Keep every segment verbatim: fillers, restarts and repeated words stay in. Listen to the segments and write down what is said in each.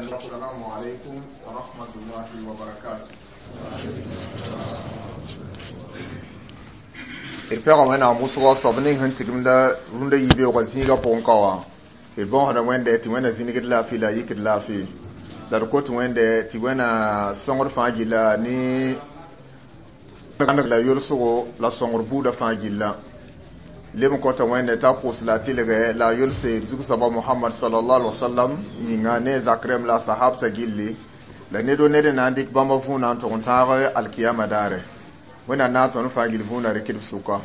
السلام عليكم ورحمة الله وبركاته d pɛga wẽnnaam wʋsgɔ soab ning sẽn tigimda rũndã yibeoogã zĩigã pʋgẽ ka wã d bõosda wẽnde tɩ wẽnna zĩnigd laafɩ la a yikd laafɩ la d kot wẽnde tɩ wẽna sõngd fãa gilla ne la yolsgo la sõngr buudã fãa gilla leb n kõta wẽnde t'a pʋʋs la a tɩlgɛ la a yolse d zug-soaba Mohamad sallallahu alaihi wasallam yĩnga ne zak rẽmb la a sahabsã gilli la ned o ned n na n dɩk bãmba võona n tʋg n tãag alkiyama daare wẽnnaam na n tõnd fãa gill võona rɩkd b sʋka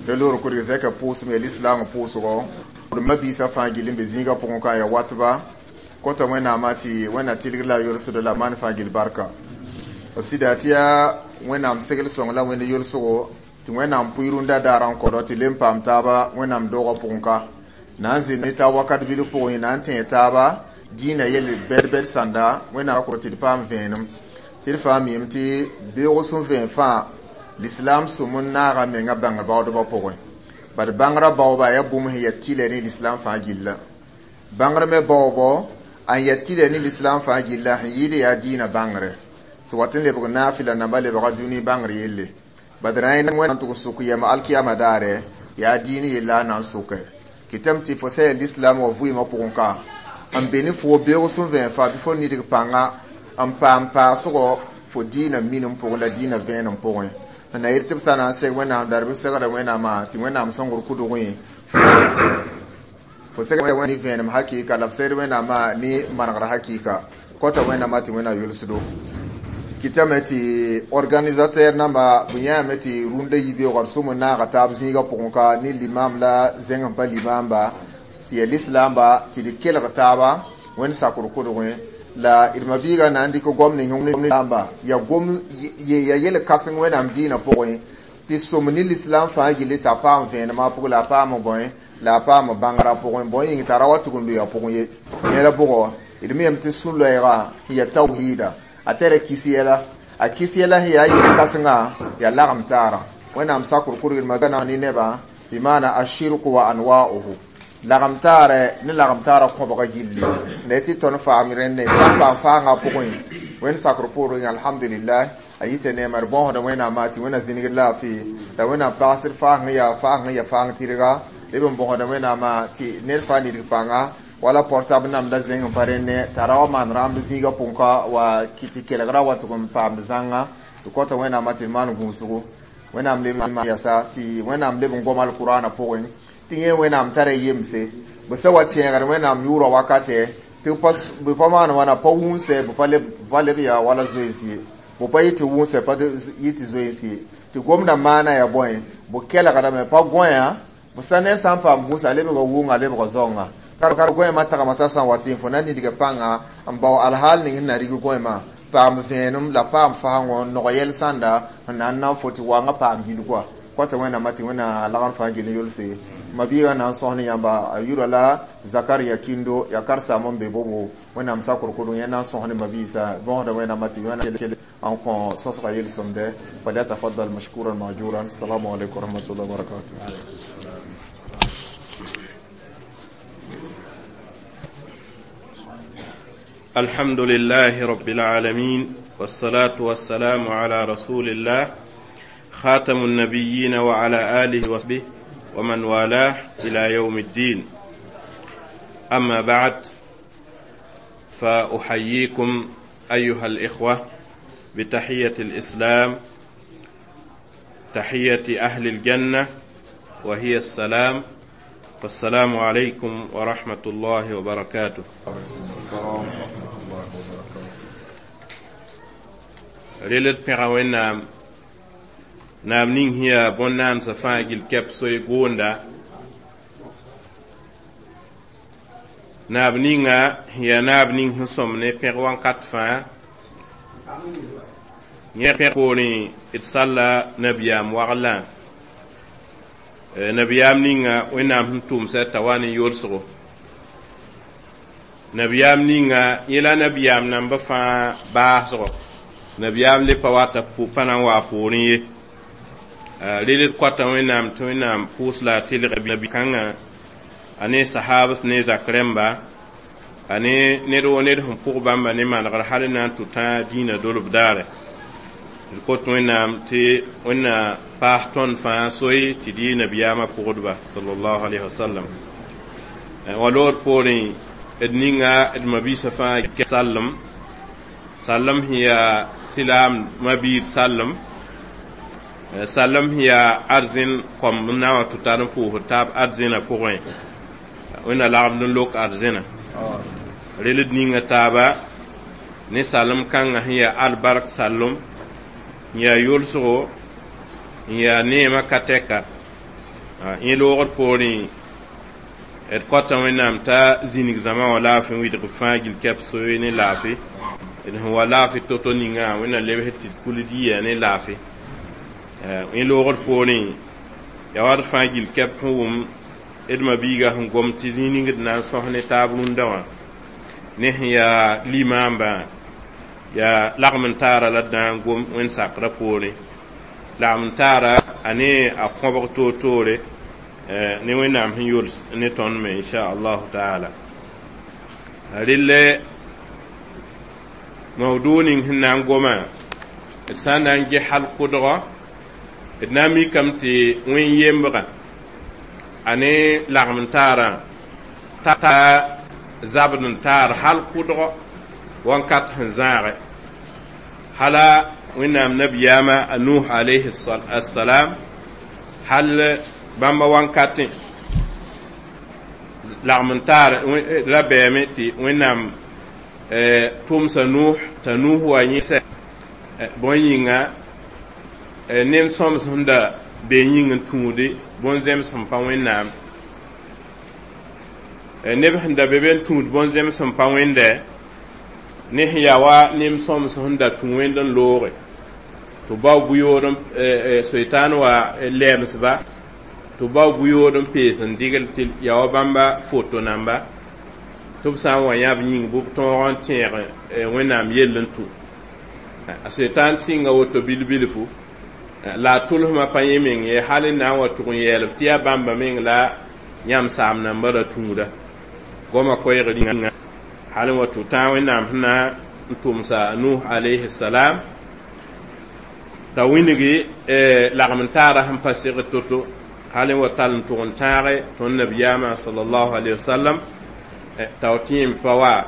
tɩ loor kʋdg zɛka pʋʋsem yaa lislaangã pʋʋsgɔ d mabiisã fãa gill n be zĩigã pʋgẽ ka ya watba kõta wẽnnaamã tɩ wẽnnaam tɩlgd la a yolsdo la maan fãa gill barka b sɩda tɩ yaa wẽnnaam segl sõng la wẽnd yolsgo tɩ wẽnnaam pʋɩ rũndã daar n kõdɔ tɩ lem paam taaba wẽnnaam doogã pʋgẽ ka na n zĩ ne taab wakat bilf pʋgẽ na n tẽe taaba dĩinã yell bɛd-bɛd sãnda wẽnnaam kõ tɩ d paam vẽenem tɩ d fãa miime tɩ beoog sẽn vẽen fãa l'islam sũm n naaga menga bãngr baoodbã pʋgẽ bad bãngrã baooba yaa bũmb sẽn yaa tɩlɛ ne l'islam fãa gilla bãngr me baoobɔ n yaa tɩlɛ ne l'islam fãa gilla sẽn yɩɩd yaa dĩinã bãngre sẽn wat n lebg naafɩla namba lebga dũni bãngr yelle bad rã wẽnnaam tʋg n sʋk yɛm alkiyama daare yaa dĩin yella a na n sʋkɛ kɩtame tɩ fo sã yaa l'islam wã vɩɩmã pʋgẽ ka n be ne fo beoog sẽn vẽen fãa bɩ fo nidg pãnga n paam paasgɔ fo dĩinã minim pʋgẽ la dĩinã vẽenem pʋgẽ n na yet tɩ b sã na n seg wẽnnaam dar bɩ segda wẽnnaamã tɩ wẽnnaam sõngr kʋdgẽ fo seg ne vẽenem hakɩɩka la f segd wẽnnaamã ne manegr hakɩɩka kõta wẽnnaamã tɩ wẽnnaam yolsdo kɩtame tɩ organisateur namba bɩ yãame tɩ rũndã yibeoogã d sʋm n naaga taab zĩigã pʋgẽ ka ne limam la zẽng n pa limamba tɩ yaa lislaamba tɩ d kelg taaba wẽnd sakr kʋdgẽ la d mabiigã na n dɩk gom ning yaa gom yaa yel kãseng wẽnnaam dĩinã pʋgẽ tɩ sõm ne lislaam fãa gilli t'a paam vẽenemã pʋgẽ la a paam bõe la a paam bãngrã pʋgẽ bõe yĩng t'a ra wa tʋg n lʋɩ a pʋgẽ ye yẽla bʋgɔ d me yam tɩ sũ-loɛɛga sẽn yaa tawhiida a tara kis yɛla a kis yɛla sẽn yaa yel kãsengã yaa lagem taara wẽnnaam sakr kurgd magana ne nebã bɩ maana ashirku wa anwa'uhu lagem taarɛ ne lagem taarã kõbga gilli la tɩ tõnd faam rẽnde sã n paam faangã pʋgẽ wẽnd sakr poorẽ alhamdulillah a yita neema d bõosda wẽnnaamã tɩ wẽnna zĩnigd laafɩ la wẽnnaam pagsd faang yaa faang yaa faang tɩrga leb n bõosda wẽnnaamã tɩ ned fãa nidg pãnga wala portable namda zẽng n pa rẽnne t'a ra wa maan rãmb zĩigã pʋgẽ ka wa tɩ kelgra wa tʋg n paamd zãnga tɩ kõta wẽnnaamã tɩ d maan gũusgo wẽnnaam leb yasa tɩ wẽnnaam leb n gom alkurana pʋgẽ tɩ yẽ wẽnnaam tara yemse bɩ sã wa tẽegd wẽnnaam yʋʋrã wakatɛ tɩ bɩ pa maan wãna pa wũnsɛ bɩ pa leb yaa wala zoeens ye bɩ pa yɩ tɩ wũnsɛ pa yɩ tɩ zoeens ye tɩ gomdã maana yaa bõe bɩ kelgdame pa gõeya bɩ sã ned sã n paam gũusa a lebga wʋnga a lebga zaoongã kar gõeemã tagmã t'a sã n wa tɩ fo na nidga pãnga n bao alhaal ning sẽn na rig gõeemã paam vẽenem la paam fasengõ nog yɛl sãnda n na n na n fo tɩ waangã paam gilgwa kõta wẽnnaamã tɩ wẽnna lagr fãa gil n yolse mabiigã na n sõs ne yãmba a yʋra la Zakaria Kindo yaa karsaam n be bobo wẽnnaam sakr kʋdg yẽ na n sõs ne mabiisã bõosda wẽnnaamã tɩ wẽnna n kõ sõsga yel-sõmdɛ falyatafaddal mashkuran majuran assalamu alaikum warahmatullahi wabarakatuh. الحمد لله رب العالمين والصلاة والسلام على رسول الله خاتم النبيين وعلى آله وصحبه ومن والاه إلى يوم الدين. أما بعد، فأحييكم أيها الإخوة بتحية الإسلام، تحية أهل الجنة، وهي السلام. فالسلام عليكم ورحمة الله وبركاته. السلام ورحمة الله وبركاته. Rel d pẽga Wẽnnaam naam ning sẽn yaa bõn-naamsã fãa gill kɛp soy goonda naab ninga sẽn yaa naab ning sẽn sõm ne pẽg wãnkat fãa yẽ pẽg poorẽ d salla nabiyaam waglã nabiyaam ninga Wẽnnaam sẽn tʋʋmsã t'a wa ne yolsgo nabiyaam ninga yẽ la nabiyaam namba fãa baasgɔ nabiyaam le pa wata pa na n waa poorẽ ye rel d koata Wẽnnaam tɩ Wẽnnaam pʋʋs la a tɩlg nabi-kãngã a ne sahabs ne zak rẽmba A ne ned woo ned sẽn pʋg bãmba ne manegr hal n na n tʋ tãa dĩinã dolb daare. D kot Wẽnnaam tɩ Wẽnna paas tõnd fãa soe tɩ d yɩ nabiyaamã pʋgdba sallallahu alayhi wa sallam. Wa lood poorẽ d ninga d mabiisã fãa sallem sallem sẽn yaa silaam mabiid sallem sallem sẽn yaa arzẽn kõmb n na n wa tɩ tar n pʋʋsd taab arzẽnã pʋgẽ. Wẽnna lagmd n lok arzẽnã rel d ninga taaba ne salem kãngã sẽn yaa albark sallem n yaa yʋlsgo n yaa neemã ka tɛka. Yẽ loogd poorẽ d kõta Wẽnnaam t'a zĩnig zãma wã laafɩ n wɩdg fãa gill kɛp soe ne laafɩ d sẽn wa laafɩ to-to ningã Wẽnna lebs tɩ d kul d yɩa ne laafɩ. Yẽ loogd poorẽ yaa wa d fãa gill kɛp sẽn wʋm d mabiiga sẽn gom tɩ zĩig ning d na n sõs ne taab rũndã wã ne sẽn yaa limaambã yaa lagm n taara la d na n gom Wẽnd sakrã poorẽ lagm n taara a ne a kõbg toor-toore ne Wẽnnaam sẽn yols ne tõnd me inchallahu taala. Relle mawdu ning sẽn na n gomã d sã n na n ges hal kʋdgɔ d na n mikame tɩ wẽn yembgã a ne lagm n taarã ta zabd n taar hal kʋdgɔ wãnkat sẽn zãage hala Wẽnnaam nabiyaamã a Nuh alayhi assalam hal bãmba wãnkatẽ lagm n taar ra bɛɛme tɩ Wẽnnaam tʋmsa Nuh t'a Nuh wa yẽsɛ bõe yĩnga nem sõms sẽn da be yĩng n tũude bõn-zẽms sẽn pa Wẽnnaam neb sẽn da be be n tũud bõn-zẽms sẽn pa Wẽndɛ ne sẽn yaa wa nem sõms sẽn da tũ Wẽnd n looge tɩ bao bu-yood soitaan wa lɛɛmsba tɩ bao bu-yood n pees n dɩgl tɩ yaa wa bãmba foto namba tɩ b sã n wa yãb yĩng bɩ b tõog n tẽeg Wẽnnaam yell n tũ. A soitaan sɩnga woto bil-bilfu la a tʋlsmã pa yẽ meng ye hal n na n wa tʋg n yɛɛlb tɩ yaa bãmba meng la yãmb saam nambã ra tũuda goamã koɛɛg rĩnga hal n wa tɩ tãag Wẽnnaam sẽn na n tʋmsa Nuh alayhi salam t'a wĩngi lagm n taara sẽn pa segd to-to hal n wa tall n tʋg n tãage tõnd nabiyaamã sallallahu alayhi wa sallam t'a w tẽem pa wa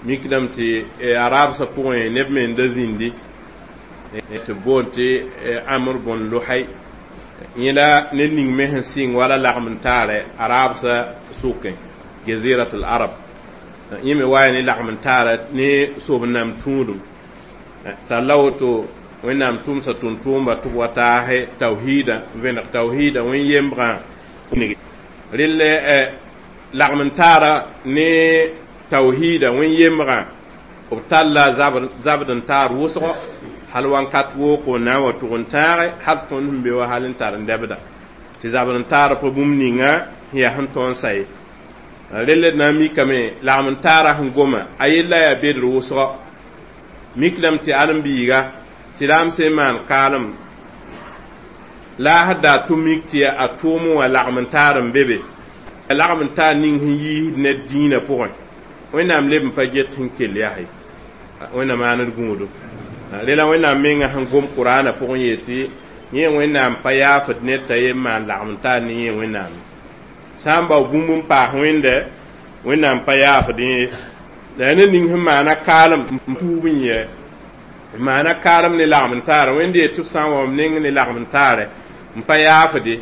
mikdame tɩ arabsã pʋgẽ neb me n da zĩndi tɩ b boond tɩ Amr bõn Lohay yẽ la ned ning me sẽn sɩng wala lagm n taarɛ arabsã sʋkẽ jazirat al arab yẽ me wa ne lagm n taara ne sob nam tũudum t'a la woto Wẽnnaam tʋmsa tʋm-tʋʋmba tɩ b wa taase tawhiida n vẽneg tawhiida wẽn yembrã rell lagm n taara ne tawhiida wẽn yembrã b talla zabd n taar wʋsgo hal wãnkat wooko n na n wa tʋg n tãage hal tõnd sẽn be wa hal n tar n dɛbda tɩ zabd n taar pa bũmb ninga sẽn yaa sẽn tõnd sa ye. Rell d na n mikame lagm n taara sẽn goma a yella yaa bedr wʋsgo miklame tɩ alen-biiga silaam sẽn maan kaalem la a da tʋ mik tɩ a tʋʋm wã lagm n taar n be be lagm n taar ning sẽn yiisd ned dĩinã pʋgẽ Wẽnnaam leb n pa get sẽn kell yaa ye Wẽnnaam maand gũudu rela Wẽnnaam menga sẽn gom Kuraanã pʋgẽ yetɩ yẽ Wẽnnaam pa yaafd ned t'a yem maan lagm n taar ne yẽ Wẽnnaam sã n bao bũmb n paas Wẽnda Wẽnnaam pa yaafd yẽ la yaa ned ning sẽn maana kaalem n tuub n yɛ n maana kaalem ne lagm n taare Wẽnd yet tɩ b sã n wa m neng ne lagm n taare n pa yaafde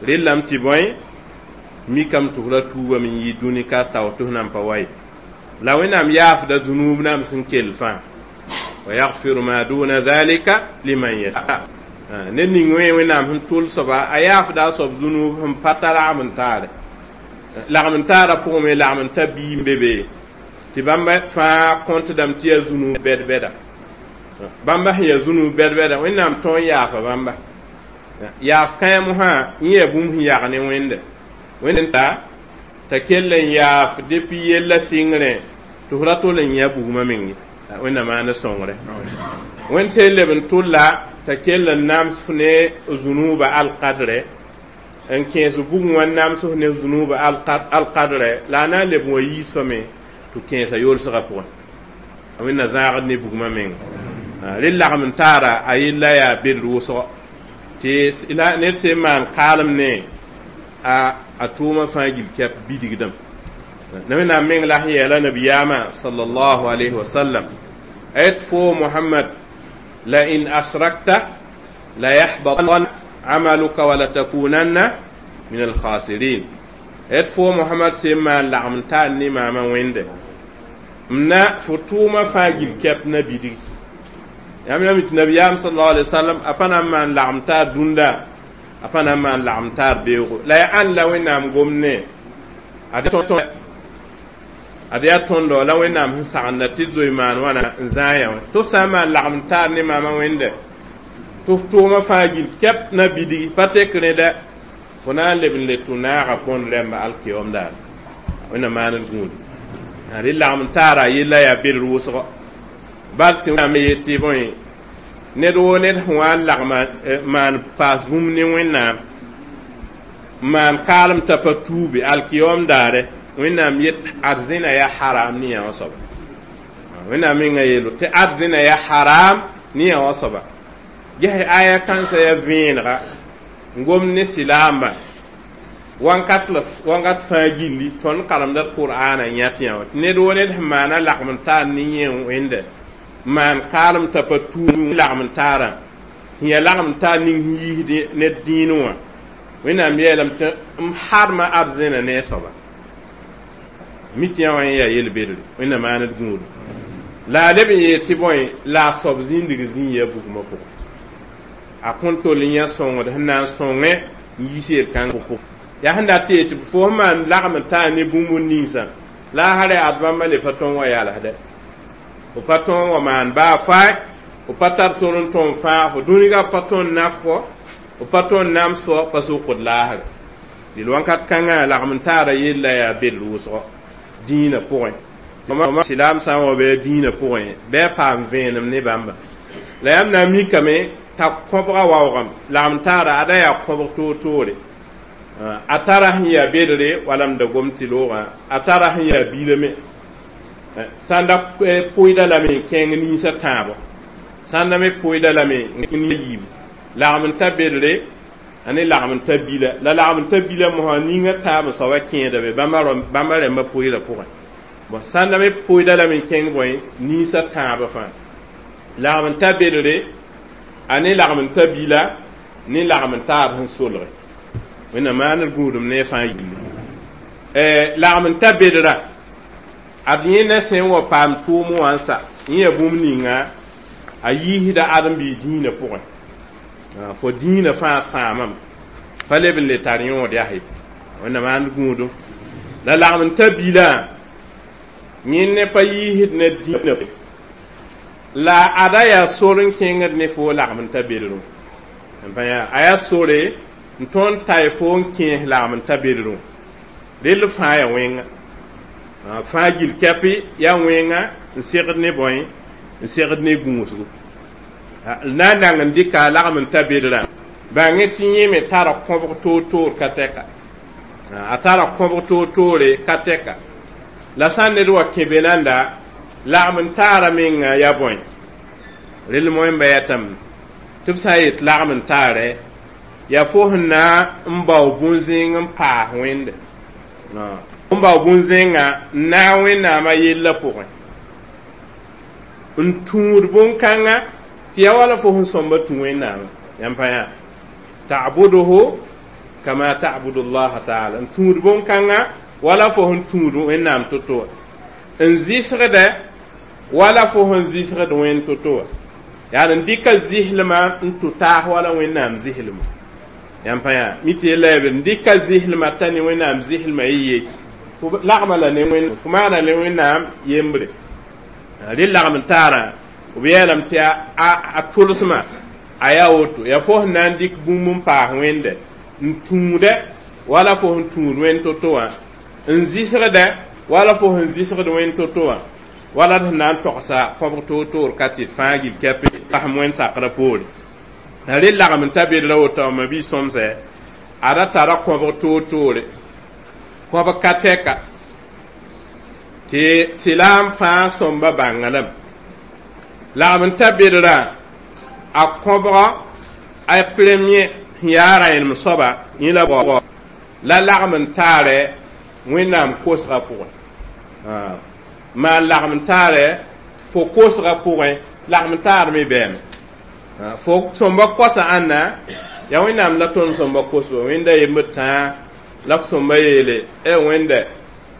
rellame tɩ bõe mikame tɩ f ra tuubame n yɩ dũni ka tao tɩ f nan pa wa ye la Wẽnnaam yaafda zũnuub nam sẽn kell fãa wa yagfiru ma duna dhalika liman yasha ned ning wẽ Wẽnnaam sẽn tʋl soaba a yaafda a soab zũnuub sẽn pa tar lagm n taare lagm n taarã pʋgẽ me lagm n ta biim be be tɩ bãmba fãa kõntdame tɩ yaa zũnuub bɛd-bɛda bãmba sẽn yaa zũnuub bɛd-bɛda Wẽnnaam tõe n yaafa bãmba yaaf kãe mosã yẽ yaa bũmb sẽn yag ne Wẽnde Wẽnd ta t'a kell n yaaf depuis yella sɩngrẽ tɩ f ra tol n yã bugmã meng ye Wẽnnaam maand sõngre Wẽnd sẽn leb n tʋlla t'a kell n nams f ne zũnuubã alkadrɛ n kẽes bugẽ wã nams f ne zũnuubã alkadrɛ la a na n leb n wa yiis fame tɩ kẽesa yolsgã pʋgẽ wẽnna zãagd ne bugmã menga rẽ lagm n taara a yella yaa bed wʋsgo tɩ ned sẽn maan kaalem ne a a tʋʋmã fãa gil kɛp bidigdame na wẽnnaam meng la sẽn yeela nabiyaamã sallallahu alayhi wa sallam a yet fo Muhammad la in asrakta la yahbatan amaluka wa latakunanna min alkhasirin yet fo Muhammad sẽn maan lagm n taar ne maamã wẽnde m na fo tʋʋmã fãa gil kɛp na bidgi yãmb yãmb tɩ nabiyaam sallallahu alaihi wasallam a pa na n maan lagm taar dũnda a pa na n maan lagm taar beoogo la yaa ãnd la wẽnnaam gomd ne ad yaa tõndo la wẽnnaam sẽn sagenda tɩ zoe maan wãna n zãa yã wã tɩ f sã n maan lagm taar ne maamã wẽnde tɩ f tʋʋmã fãa gil kɛp na bidgi pa tek rẽda fo na n leb n le tʋ naaga põnd rẽmba alkiom daare wẽnna maand gũudi rẽ lagm taara yella yaa bed wʋsgo bal tɩ wẽnnaam yetɩ bõe ned woo ned sẽn wa n lagma maan paas bũmb ne wẽnnaam maan kaalem t'a pa tuube alkiom daare wẽnnaam yet arzẽna yaa haram ne yã wã soaba wẽnnaam menga yeelo tɩ arzẽna yaa haram ne yã wã soaba ges aya kãnsã yaa vẽenega n gomd ne silaamba wankat la wankat fãa gilli tõnd karemda d qur'aana yãt yã wã tɩ ned woo ned sẽn maana lagm n taar ne yẽ wẽnde maan kaalem t'a pa tuub lagm n taarã sẽn yaa lagm n taar ning sẽn yiisd ned dĩinẽ wã wẽnnaam yeelame tɩ m harma arzẽna ne a soaba mi tɩ yã wã yaa yel-bedre wẽnna maand gũudu la a leb n yeel tɩ bõe la a soab zĩndig zĩig yaa bugmã pʋgẽ a kõn tol n yã sõngd sẽn na n sõngẽ n yiis yel-kãng pʋgẽ yaa sẽn dat tɩ yetɩ fo sẽn maan lagm n taar ne bũmb ninsã la a sã ad bãmba le pa tõn wa yalsdɛ fo pa tõn wa maan baa faay fo pa tar sor n tõm fãa fo dũnigã pa tõn naf fo fo pa tõn nams fo pa sʋkd laasre dɩl wãnkat kãngã lagm n taara yella yaa bed wʋsgo dĩinã pʋgẽ silaam sã n wa bɩ dĩinã pʋgẽ bɩ a paam vẽenem ne bãmba la yãmb na n mikame t'a kõbga waoogame lagm taara ada yaa kõbg toor-toore a tara sẽn yaa bedre wala m da gom tɩ loogã a tara sẽn yaa bilame sãn da pʋɩda lame n kẽng ninsã tãabo sãn da me pʋɩda lame n kẽng yiibu lagm n ta bedre a ne lagm n ta bila la lagm n ta bila mosã ninga taab soaba kẽeda be bãmba rẽmbã pʋɩda pʋgẽ bon sãn da me pʋɩda lame n kẽng bõe ninsã tãabã fãa lagm n ta bedre a ne lagm n ta bila ne lagm n taar sẽn solge wẽnna maand gũudum ne fãa yilli lagm n ta bedra ad yẽ sẽn wa paam tʋʋm wã n sa yẽ yaa bũmb ninga a yiisda ãdem-biig dĩinã pʋgẽ fo dĩinã fãa sãamame pa leb n le tar yõod yaa ye wẽnna maand gũudum la lagm n ta bilã yẽ ne pa yiisd ne dĩinã la ada yaa sor n kẽngd ne fo lagm n ta bedrẽ n pa yaa a yaa sore n tõnd tay fo n kẽes lagm n ta bedrẽ rell fãa yaa wẽnga fãa gil kɛpɩ yaa wẽnga n segd ne bõe n segd ne gũusgo na n nang n dɩka lagm n ta bedrã bãng tɩ yẽ me tara kõbg toor-toor ka tɛka a tara kõbg toor-toore ka tɛka la sã n ned wa kẽ be nanda lagm n taara menga yaa bõe rell moẽmba yatame tɩ b sã n yet lagm n taarɛ yaa fo sẽn na n bao bũn-zẽng n paas wẽnde n bao bũn-zẽngã n naag wẽnnaamã yellã pʋgẽ n tũud bũn-kãngã tɩ yaa wala fo sẽn sõmba tũ wẽnnaamã yãmb pa yã ta'buduhu kama ta'budu llaha taala n tũud bũn-kãngã wala fo sẽn tũud wẽnnaam to-to wã n zɩsgdɛ wala fo sẽn zɩsgd wẽnd to-to wã yaa n dɩka zɩslmã n tʋ taas wala wẽnnaam zɩslmã yãmb pa yã mi tɩ yella yaa n dɩka zɩslmã t'a ne wẽnnaam zɩslmã y ye fo lagma la ne wẽn fo maana ne wẽnnaam yembre rẽ lagm n taarã b yeelame tɩ a tʋlsmã a yaa woto yaa fo sẽn na n dɩk bũmb n paas wẽnde n tũudɛ wala fo sẽn tũud wẽnd to-to wã n zɩsgdɛ wala fo sẽn zɩsgd wẽnd to-to wã wala d sẽn na n togsa kõbg toor-toor ka tɩ fãa gil kɛpɩ basem wẽnd sakrã poore la rẽ lagm n ta bedra woto ma bi sõmsɛ Ada tara kõbg toor-toore, kõbg ka tɛka tɩ silaam fãa sõmba bãnga lame. Lagm n ta bedrã a kõbgã a premier sẽn yaa rãenem soaba yẽ la bao la lagm n taarɛ Wẽnnaam kosgã pʋgẽ, maan lagm n taarɛ fo kosgã pʋgẽ, lagm n taar me bɛɛme fo sõmba kosa ãnna yaa Wẽnnaam la tõnd sõmba kosba. Wẽnda yembd tãa la f sõmba yeele e Wẽnda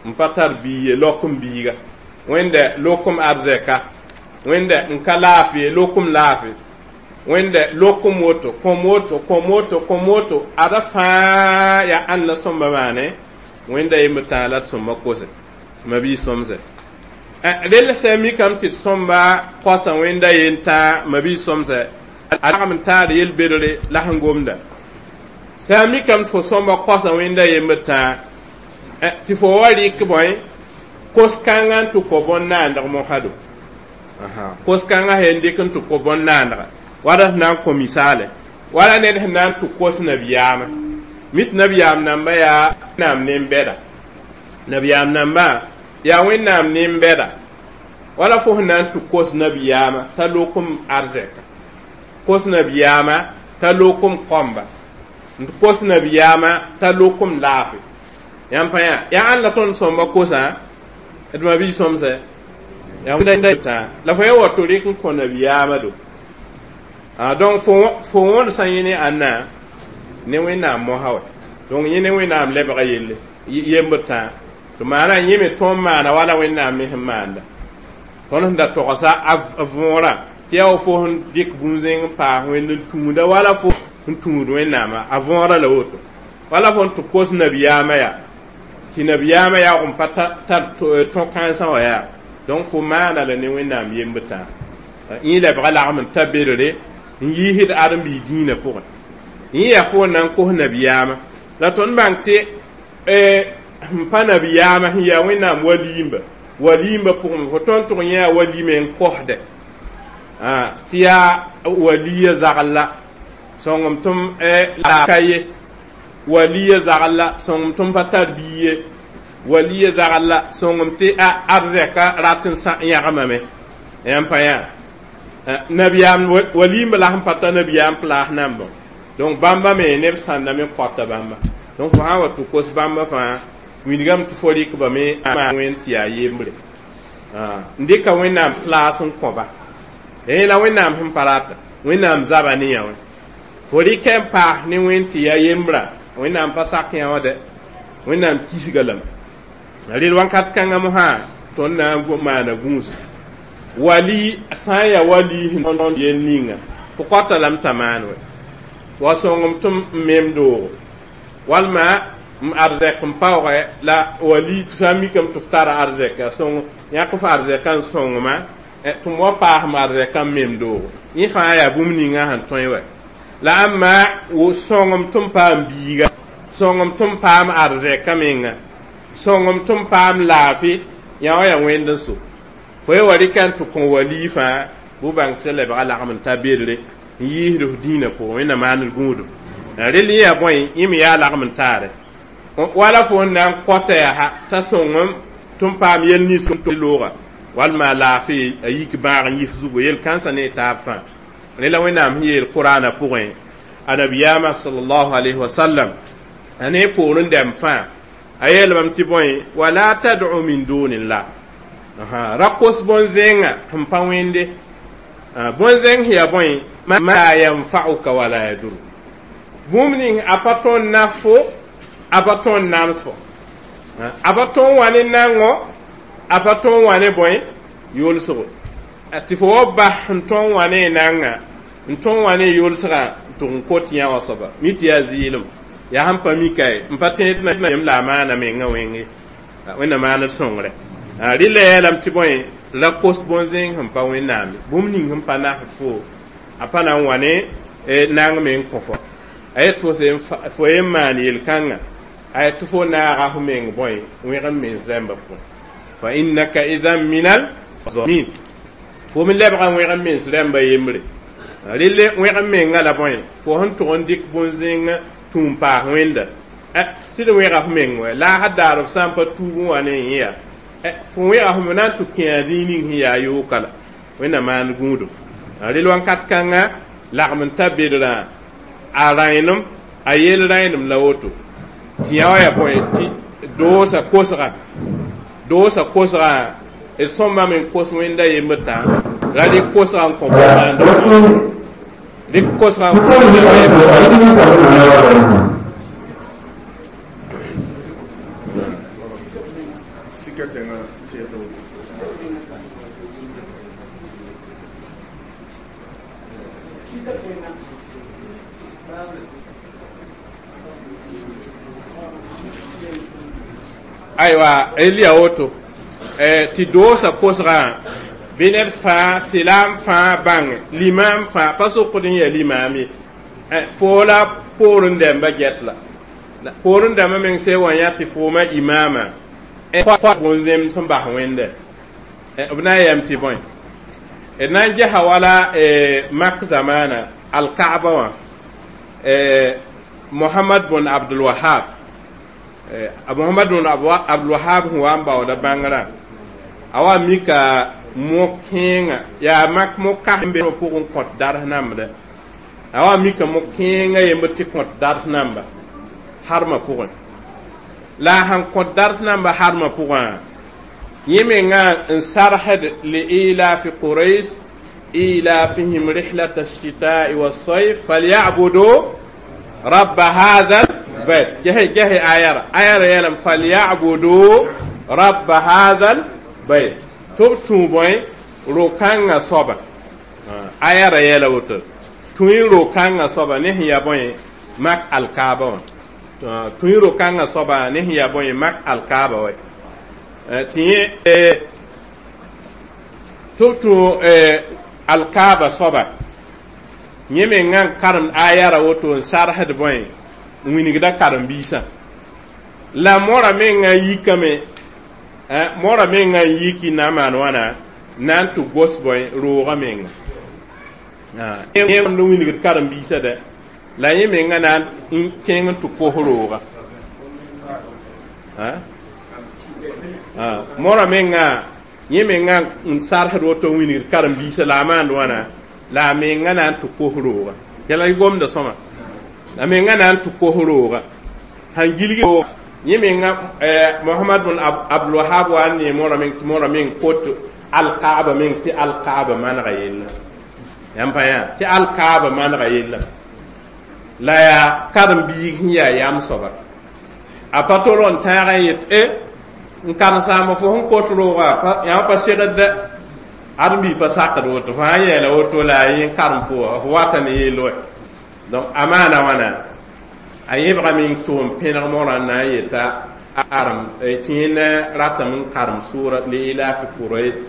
n pa tar bii ye, lok n biiga, Wẽnda lokom arzɛka, Wẽnda n ka laafɩ ye, lokom laafɩ, Wẽnda lokom woto, kõm woto, kõm woto, kõm woto, ada fãa yaa ãnd la sõmba maane. Wẽnda yembd tãa la d sõmba kose ma bii sõmse rel sã mikame tɩ d sõmba kosa Wẽnda yen tãa ma bii sõmse a lagm n taar yel-bedre la sẽn gomda. Sã n mikame tɩ fo sõmba kosa Wẽnda yembd tãa tɩ fo wa rɩk bõe kos-kãngã n tɩ kõ bõn-naandg mosã do, kos-kãngã sẽn dɩk n tɩ kõ bõn-naandga wala sẽn na n kõ misaale wala ned sẽn na n tɩ kos nabiyaamã mi tɩ nabiyaam namba yaa Wẽnnaam nen-bɛda, nabiyaam nambã yaa Wẽnnaam nen-bɛda, wala fo sẽn na n tɩ kos nabiyaamã t'a lokom arzɛka, kos nabiyaamã t'a lokom kõmba, n tɩ kos nabiyaamã t'a lokom laafɩ. Yãmb pa yã yaa ãnd la tõnd sõmba kosã d ma bii sõmsɛ yaa tã la fo ya wa tɩ rɩk n kõ nabiyaamã do. Donc fo fo wõnd sã yẽ ne ãnna ne Wẽnnaam mosa wɛ, donc yẽ ne Wẽnnaam lebga yelle yembd tã tɩ maana yẽ me tõnd maana wala Wẽnnaam me sẽn maanda. Tõnd sẽn da togsa a võorã tɩ yaa wa fo sẽn dɩk bũn-zẽng n paas Wẽnd n tũuda wala fo n tũud Wẽnnaamã a võorã la woto wala fo n tɩ kos nabiyaamã yaa tɩ nabiyaamã yaoog n pa tar tõ-kãensã wã yaa. Donc fo maana la ne Wẽnnaam yembd tã yẽ lebga lagm n ta bedre n yiisd ãdem-biig dĩinã pʋgẽ. Yẽ yaa fo n na n kos nabiyaamã la tõnd bãng tɩ sẽn pa nabiyaamã sẽn yaa Wẽnnaam waliimba waliimba pʋgẽ fo tõnd tʋg yẽ yaa walime n kosdɛ tɩ yaa waliya zagl la sõngem tɩ la ka ye, waliya zagl la sõngem tɩ m pa tar bii ye, waliya zagl la sõngem tɩ a arzɛka rat n yãgemame. Yãmb pa yã nabiyaam waliimba la sẽn pa ta nabiyaam plaas nambã, donc bãmba me neb sãnda me kõta bãmba. Donc fo sã n wa tɩ kos bãmba fãa wilgame tɩ fo rɩkba me Wẽnd tɩ yaa yembre n dɩka Wẽnnaam plaas n kõba yẽ la Wẽnnaam sẽn pa rata Wẽnnaam zaba ne yã wã fo rɩkɛ n paas ne Wẽnd tɩ yaa yembrã Wẽnnaam pa sak yã wã dɛ Wẽnnaam kisga lame rel wãnkat kãngã mosã tõnd na n maana gũus wali sã n yaa wali sẽn yel ninga fo kõta lame t'a maan wɛ wa sõngem tɩ m mem doogo walma m arzɛk n paoogɛ la wali sã n mikame tɩ f tara arzɛka sõng yãk f arzɛka n sõngma tɩ m wa paas m arzɛka n mem doogo yẽ fãa yaa bũmb ninga sẽn tõe wɛ la ãmba sõngem tɩ m paam biiga, sõngem tɩ m paam arzɛka menga, sõngem tɩ m paam laafɩ yã wã yaa Wẽnd n so fo ye wa rɩka n tɩ kõ wali fãa bʋ bãng tɩ lebga lagm n ta bedre n yiisd f dĩinã pʋgẽ Wẽnnaam maand gũudum rel yẽ yaa bõe yẽ me yaa lagm n taare wala fo n na n kõta yaa ha t'a sõngem tɩ m paam yel nins looga walma laafɩ a yik bãag n yif zugu yel kãnsã ne taab fãa rela Wẽnnaam sẽn yeel Qur'aanã pʋgẽ a nabiyaamã sallallahu alayhi wa sallam a ne poor n dɛm fãa a yeelame tɩ bõe wala tad'u min dunillah ra kos bõn-zẽngã sẽn pa Wẽnde bõn-zẽng sẽn yaa bõe ma yanfa'uka wala yadur bũmb ning a pa tõnd nafo a pa tõnd namsgo a pa tõnd wa ne nango a pa tõnd wa ne bõe yʋlsgo tɩ fo wa bas sẽn tõnd wa ne nanga n tõnd wa ne yʋlsgã tɩ n kot yã wã soaba mi tɩ yaa zɩɩlem yaa sẽn pa mika ye n pa tẽed na yem la a maana mengã wẽnge Wẽnnaam maand d sõngre rɩla yeelame tɩ bõe la kos bõn-zẽng sẽn pa Wẽnnaam bũmb ning sẽn pa nasd fo a pa na n wa ne nang me n kõ fo a yet fo fo yen maan yel-kãngã a yet tɩ fo naaga fo meng bõe wẽg n mens rãmbã pʋgẽ fa innaka idan minal zalimin fo me lebga wẽg n mens rãmbã yembre relle wẽg n menga la bõe fo sẽn tʋg n dɩk bõn-zẽngã Tũum paas wẽnda sɩd wẽga f meng wɛ la a daar f sã n pa tuub n wa ne yẽ yaa fo wẽga f na n tɩ kẽa zĩig ning sẽn yaa yooka la wẽnna maand gũudum rel wãnkat kãnga lagm n ta bedrã a rãenem a yel rãenem la woto tɩ yã wa yaa bõe tɩ doosa kosga doosa kosgã d sõmbame n kos wẽnda yembr tã ra rɩk kosgã n kõ bõnaando rɩk kosgã n kõ aywa elia woto tɩ doosa kosgã bɩ ned fãa sɩlaam fãa bãnge limaam fãa pa sokd n yaa limaam ye foo la poorẽ dãmba get la poorẽ dãmbã meng sã wa yã tɩ fooma imaama bõn-zẽmd sẽn bas wẽnda b na n yam tɩ bõe d na n gesa wala mak zamaana alkaaba wã mohamad bn abdulwahab mohamad bn abdulwahab sẽn wa n baooda bãngrã a wa mika mo-kẽengã yaa mak mo-kas n be pʋgẽ kõt dars nambda a wa mika mo-kẽengã yembr tɩ kõt dars namba harmã pʋgẽ la a sẽn kõt dars namba harmã pʋgã yẽ mengã n sarsd liilafi quraish ilafihim rihlata الشتاء والصيف فليعبدوا رب هذا البيت جهي جهي آيارة آيارة يلم فليعبدوا رب هذا البيت تب توبوي روكانغا صوبا آيارة يلا وتر توي روكانغا صوبا نهي يبوي مك الكعبة توي روكانغا صوبا نهي يبوي مك الكعبة وي تي تب تو alkaaba soaba yẽ mengã n karemd ayara woto n sarsd bõe n wilgda karen-biisã la mora mengã yikame mora mengã n yiki na n maan wãna na n tɩ gos bõe roogã menga n wilgd karen-biisã dɛ la yẽ mengã na n kẽng n tɩ kos rooga mora mengã yẽ mengã n sarsd woto n wilgd karen-biisã la a maand wãna la a mengã na n tɩ kos rooga yɛla y gomda sõma la mengã na n tɩ kos rooga sãn gilg yẽ menga mohamad bn abdulwahab wa n ne mora meng tɩ mora meng kot alkaaba meng tɩ alkaaba manega yella yãmb pa yã tɩ alkaaba manega yella la yaa karen-biig sẽn yaa yam soaba a pa tol n tãag n yet e n karen-saamba fo sẽn kot rooga yãmb pa segd ãdem-biig pa sakd woto fo sã n yɛɛla woto la a yẽ n karem fo fo wata ne yell wɛ donc a maana wãna a yẽbgame n tʋʋm pẽneg morã n na n yeta arem tɩ yẽna ratame n karem sʋʋra liilafi quraish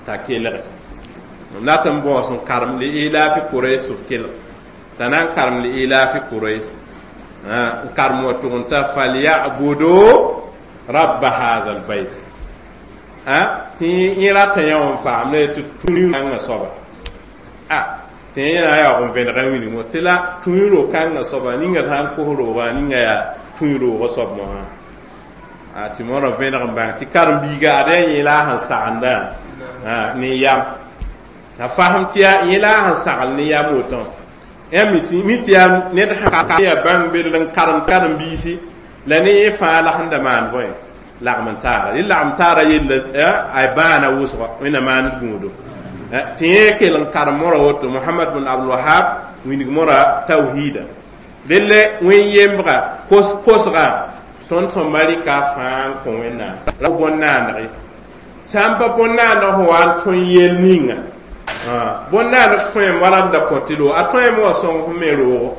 t'a kelge rat n bõos n karem liilafi quraish f kelg t'a na n karem liilafi quraish n karem wa tʋg n ta falyabudu rabba haza albayt tɩ yẽ rata yã n faam ne tɩ tũi-kãngã soaba tɩ yẽ na yaoog n vẽneg n wilg tɩ la tũi-ro-kãngã soaba ninga sã n kos roogã ninga yaa tũi-roogã soab mosã tɩ moorã vẽneg n bãng tɩ karen-biiga ad yaa yẽ la a sẽn sagenda ne yam t'a fasem tɩ yaa yẽ la a sẽn sagl ne yam wotõ yã mi tɩ yaa ned sã yaa bãng bedr n karem karen-biisi la ne yẽ fãa la sẽn da maan bõe lagm n taara rɩ lagm taara yella a bãana wʋsga wẽnna maand gũudo tɩ yẽ kell n karem mora woto mohamad bn abdulwahab wilg mora tawhida relle wẽn-yembga kosgã tõnd sõmba rɩka fãa n kõ wẽnnaam ra bõn-naandg sã n pa bõn-naandg sẽn wa n tõe yel ninga bõn-naandg tõem wala d da kõ tɩ roogo a tõeme wa sõng f me roogo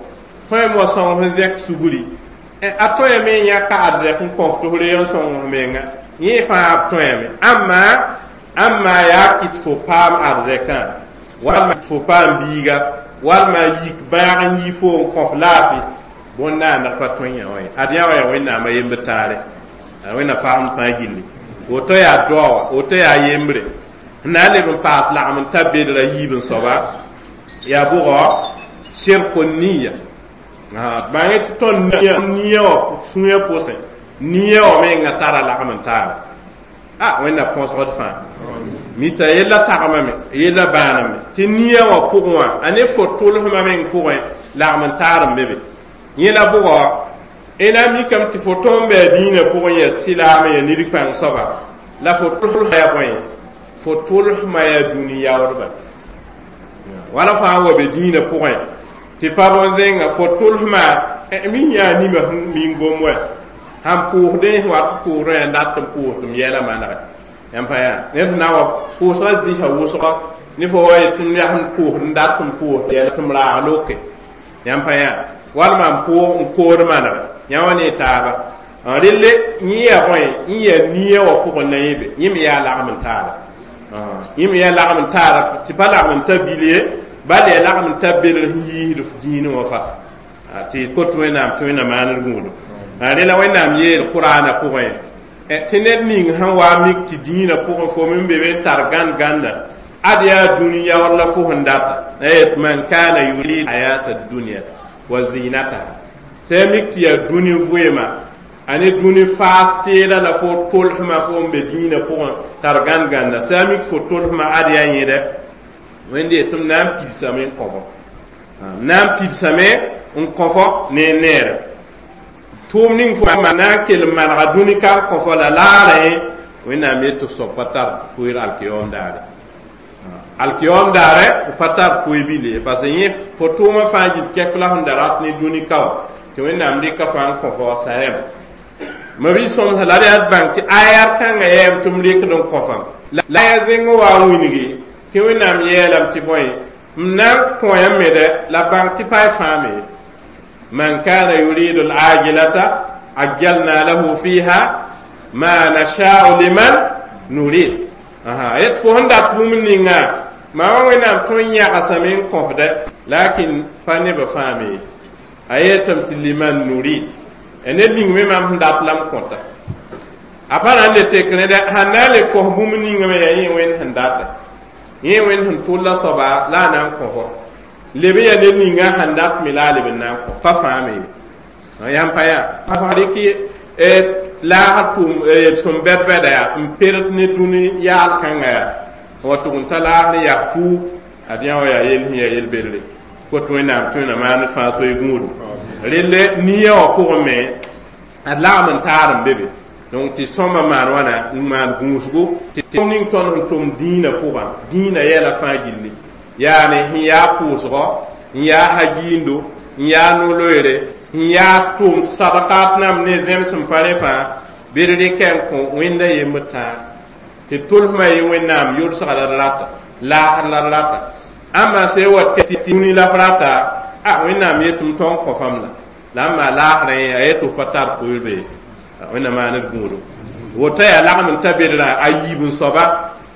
tõeme wa sõng f zẽk sugri a tõeme n yãka arzɛk n kõf tɩ f reeg n sõng f menga yẽ fãa b tõeme ãmma ãmma yaa kɩt fo paam arzɛkã walma fo paam biiga walma yik bãag n yi fo n kõf laafɩ bõn-naandg pa tõe yã wã ye ad yã wa yaa wẽnnaamã yembr tãare wẽnna faamd fãa gilli woto yaa doa woto yaa yembre n na n leb n paas lagm n ta bedra yiib n soaba yaa bʋgɔ shirku niya Bãng tɩ tõnd nia wã sũyã pʋsẽ nia wã menga tara lagm n taara a wẽnna põsgd fãa mita yella tagmame yella bãaname tɩ nia wã pʋgẽ wã a ne fo tʋlsmã meng pʋgẽ lagm n taar n be be yẽ la bʋgɔ ẽna mikame tɩ fo tõnd bɩ a dĩinã pʋgẽ yaa sɩlaam yaa nid-kãng soaba la fo tʋlsma yaa bõe fo tʋlsmã yaa dũni yaoodba wala fãa wa be dĩinã pʋgẽ tɩ pa bõn-zẽnga fo tʋlsma min yaa nima min gom wɛ sãn pʋʋsdẽ wat pʋʋsdẽ yaa dat n pʋʋs tɩ m yɛla manegɛ yãmb pa yaa ned sẽn na n wa pʋʋsgã zĩsa wʋsgɔ ne fo wa yetɩ m yaa sẽn pʋʋsd n dat n pʋʋs yɛla tɩ m raag loke yãmb pa yaa walma n pʋʋg n kood manegɛ yã wa ne taaba relle yẽ yaa bõe yẽ yaa nia wã pʋgẽ na yẽ be yẽ me yaa lagm n taara yẽ me yaa lagm n taara tɩ pa lagm n ta bil ye bal yaa lagm n ta belg sẽn yiisd f dĩinẽ wã fa tɩ kot wẽnnaam tɩ wẽnna maaned gũudum rela wẽnnaam yeel qur'ana pʋgẽ tɩ ned ning sẽn wa mik tɩ dĩinã pʋgẽ fo me be be n tar gãnd gãnda ad yaa dũni yaood la fo sẽn data yet man kana yurid hayata dunya wa zinataha sã mik tɩ yaa dũni vɩɩma a ne dũni faas teeda la fo tolsmã fo n be dĩinã pʋgẽ tar gãnd gãnda sã mik fo tolsmã ad yaa yẽda wẽnde tɩ m na n pidsame n kõ-fo m na n pidsame n kõ-fo ne neere tʋʋm ning fo na n kell n manega dũni ka n kõ-fo la laarẽ wẽnnaam yet tɩ soab pa tar pʋɩɩr alkiyoom daare alkiyoom daare pa tar pʋɩ bil ye parce que yẽ fo tʋʋmã fãa gil kɛk la sẽn da rat ne dũni ka wã tɩ wẽnnaam rɩka fãa n kõ fo sayam ma bi sõmsa la d yaa d bãng tɩ ayar kãngã yɛɛm tɩ m rɩkd n kõ fam la ya zẽng wa n wilgi tɩ wẽnnaam yeelame tɩ bõe m na n kõ yãmb me dɛ la bãng tɩ pa y fãa me man kana yuridu al-ajilata ajjalna lahu fiha ma nasha'u liman nurid aha yet fo sẽn dat bũmb ninga maa wã wẽnnaam tõnd yãgsame n kõfdɛ lakin pa nebã fãa me a yeetame tɩ liman nurid ned ning me mam sẽn dat la m kõta a pa na n le tek rẽda sãn na n le kos bũmb ninga me yaa yẽ wẽnd sẽn data yẽ wẽnd sẽn tʋlla soaba la a na n kõ fo leb n yaa ned ninga sẽn dat me la a leb n na n kõ pa fãa me ye yãmb pa yaa pa rɩk laagr tʋʋm sõm bɛd-bɛda yaa n perd ne dũni yaal kãnga yaa wa tʋg n ta laagr yaa fuu ad yã wa yaa yel sẽn yaa yel-bedre kot wẽnnaam tɩ wẽnna maan fãa soy gũudum relle nia wã pʋgẽ me ad lagm n taar n be be donc tɩ sõmba maan wãna n maan gũusgo tɩ ning tõnd sẽn tʋm dĩinã pʋgã dĩinã yɛla fãa gilli yaane sẽn yaa pʋʋsgɔ n yaa hagiindo n yaa no-loeere n yaa tʋʋm sadkat nam ne zẽms n pa rẽ fãa bɩ d rɩkɛ n kõ wẽnda yembd tãag tɩ tʋlsmã ye wẽnnaam yʋlsga la d rata laasr la d rata ãmba sã wa tɩ dũni la f rata a wẽnnaam yetɩ m tõnd kõ fam la la n maa laasrẽ a yetɩ f pa tar pʋɩɩrbe wẽnnaam maan d gũudo woto yaa lagm n ta bedrã a yiib n soaba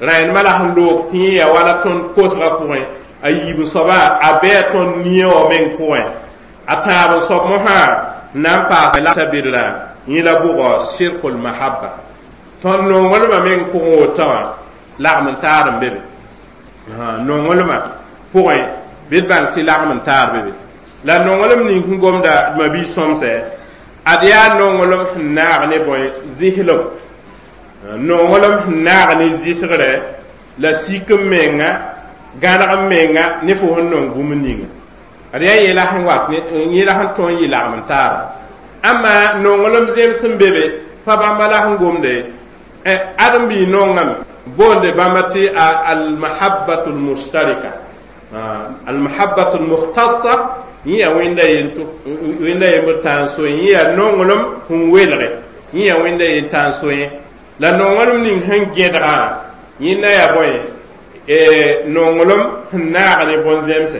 rãendmã la sẽn loog tɩ yẽ yaa wala tõnd kosgã pʋgẽ a yiib n soaba a bɩa tõnd nia wã meng pʋgẽ a tãab n soab mosã n na n paas la ta bedrã yẽ la bʋgɔ shirkul mahabba tõnd nonglmã meng pʋgẽ woto wã lagm n taar n be be nonglmã pʋgẽ bɩ d bãng tɩ lagm n taar be be la nonglem ning sẽn gomda mabi sõmsɛ ad yaa nonglem sẽn naag ne bõe zɩslem nonglem sẽn naag ne zɩsgrɛ la sik n menga gãneg n menga ne fo sẽn nong bũmb ninga ad yaa yẽla sẽn wat yẽla sẽn tõe n yɩ lagm n taara ãmma nonglem zems sẽn be be pa bãmba la sẽn gomde ad n bɩ nongame boonde bãmba tɩ almahabbatu lmustarika almahabbatu lmukhtassa yẽ yaa wẽnda wẽnda yembr tã n so yẽ yaa nonglem sẽn welge yẽ yaa wẽnda yen tã n so yẽ la nonglem ning sẽn gẽdgã yẽnda yaa bõe nonglem sẽn naag ne bõn-zemse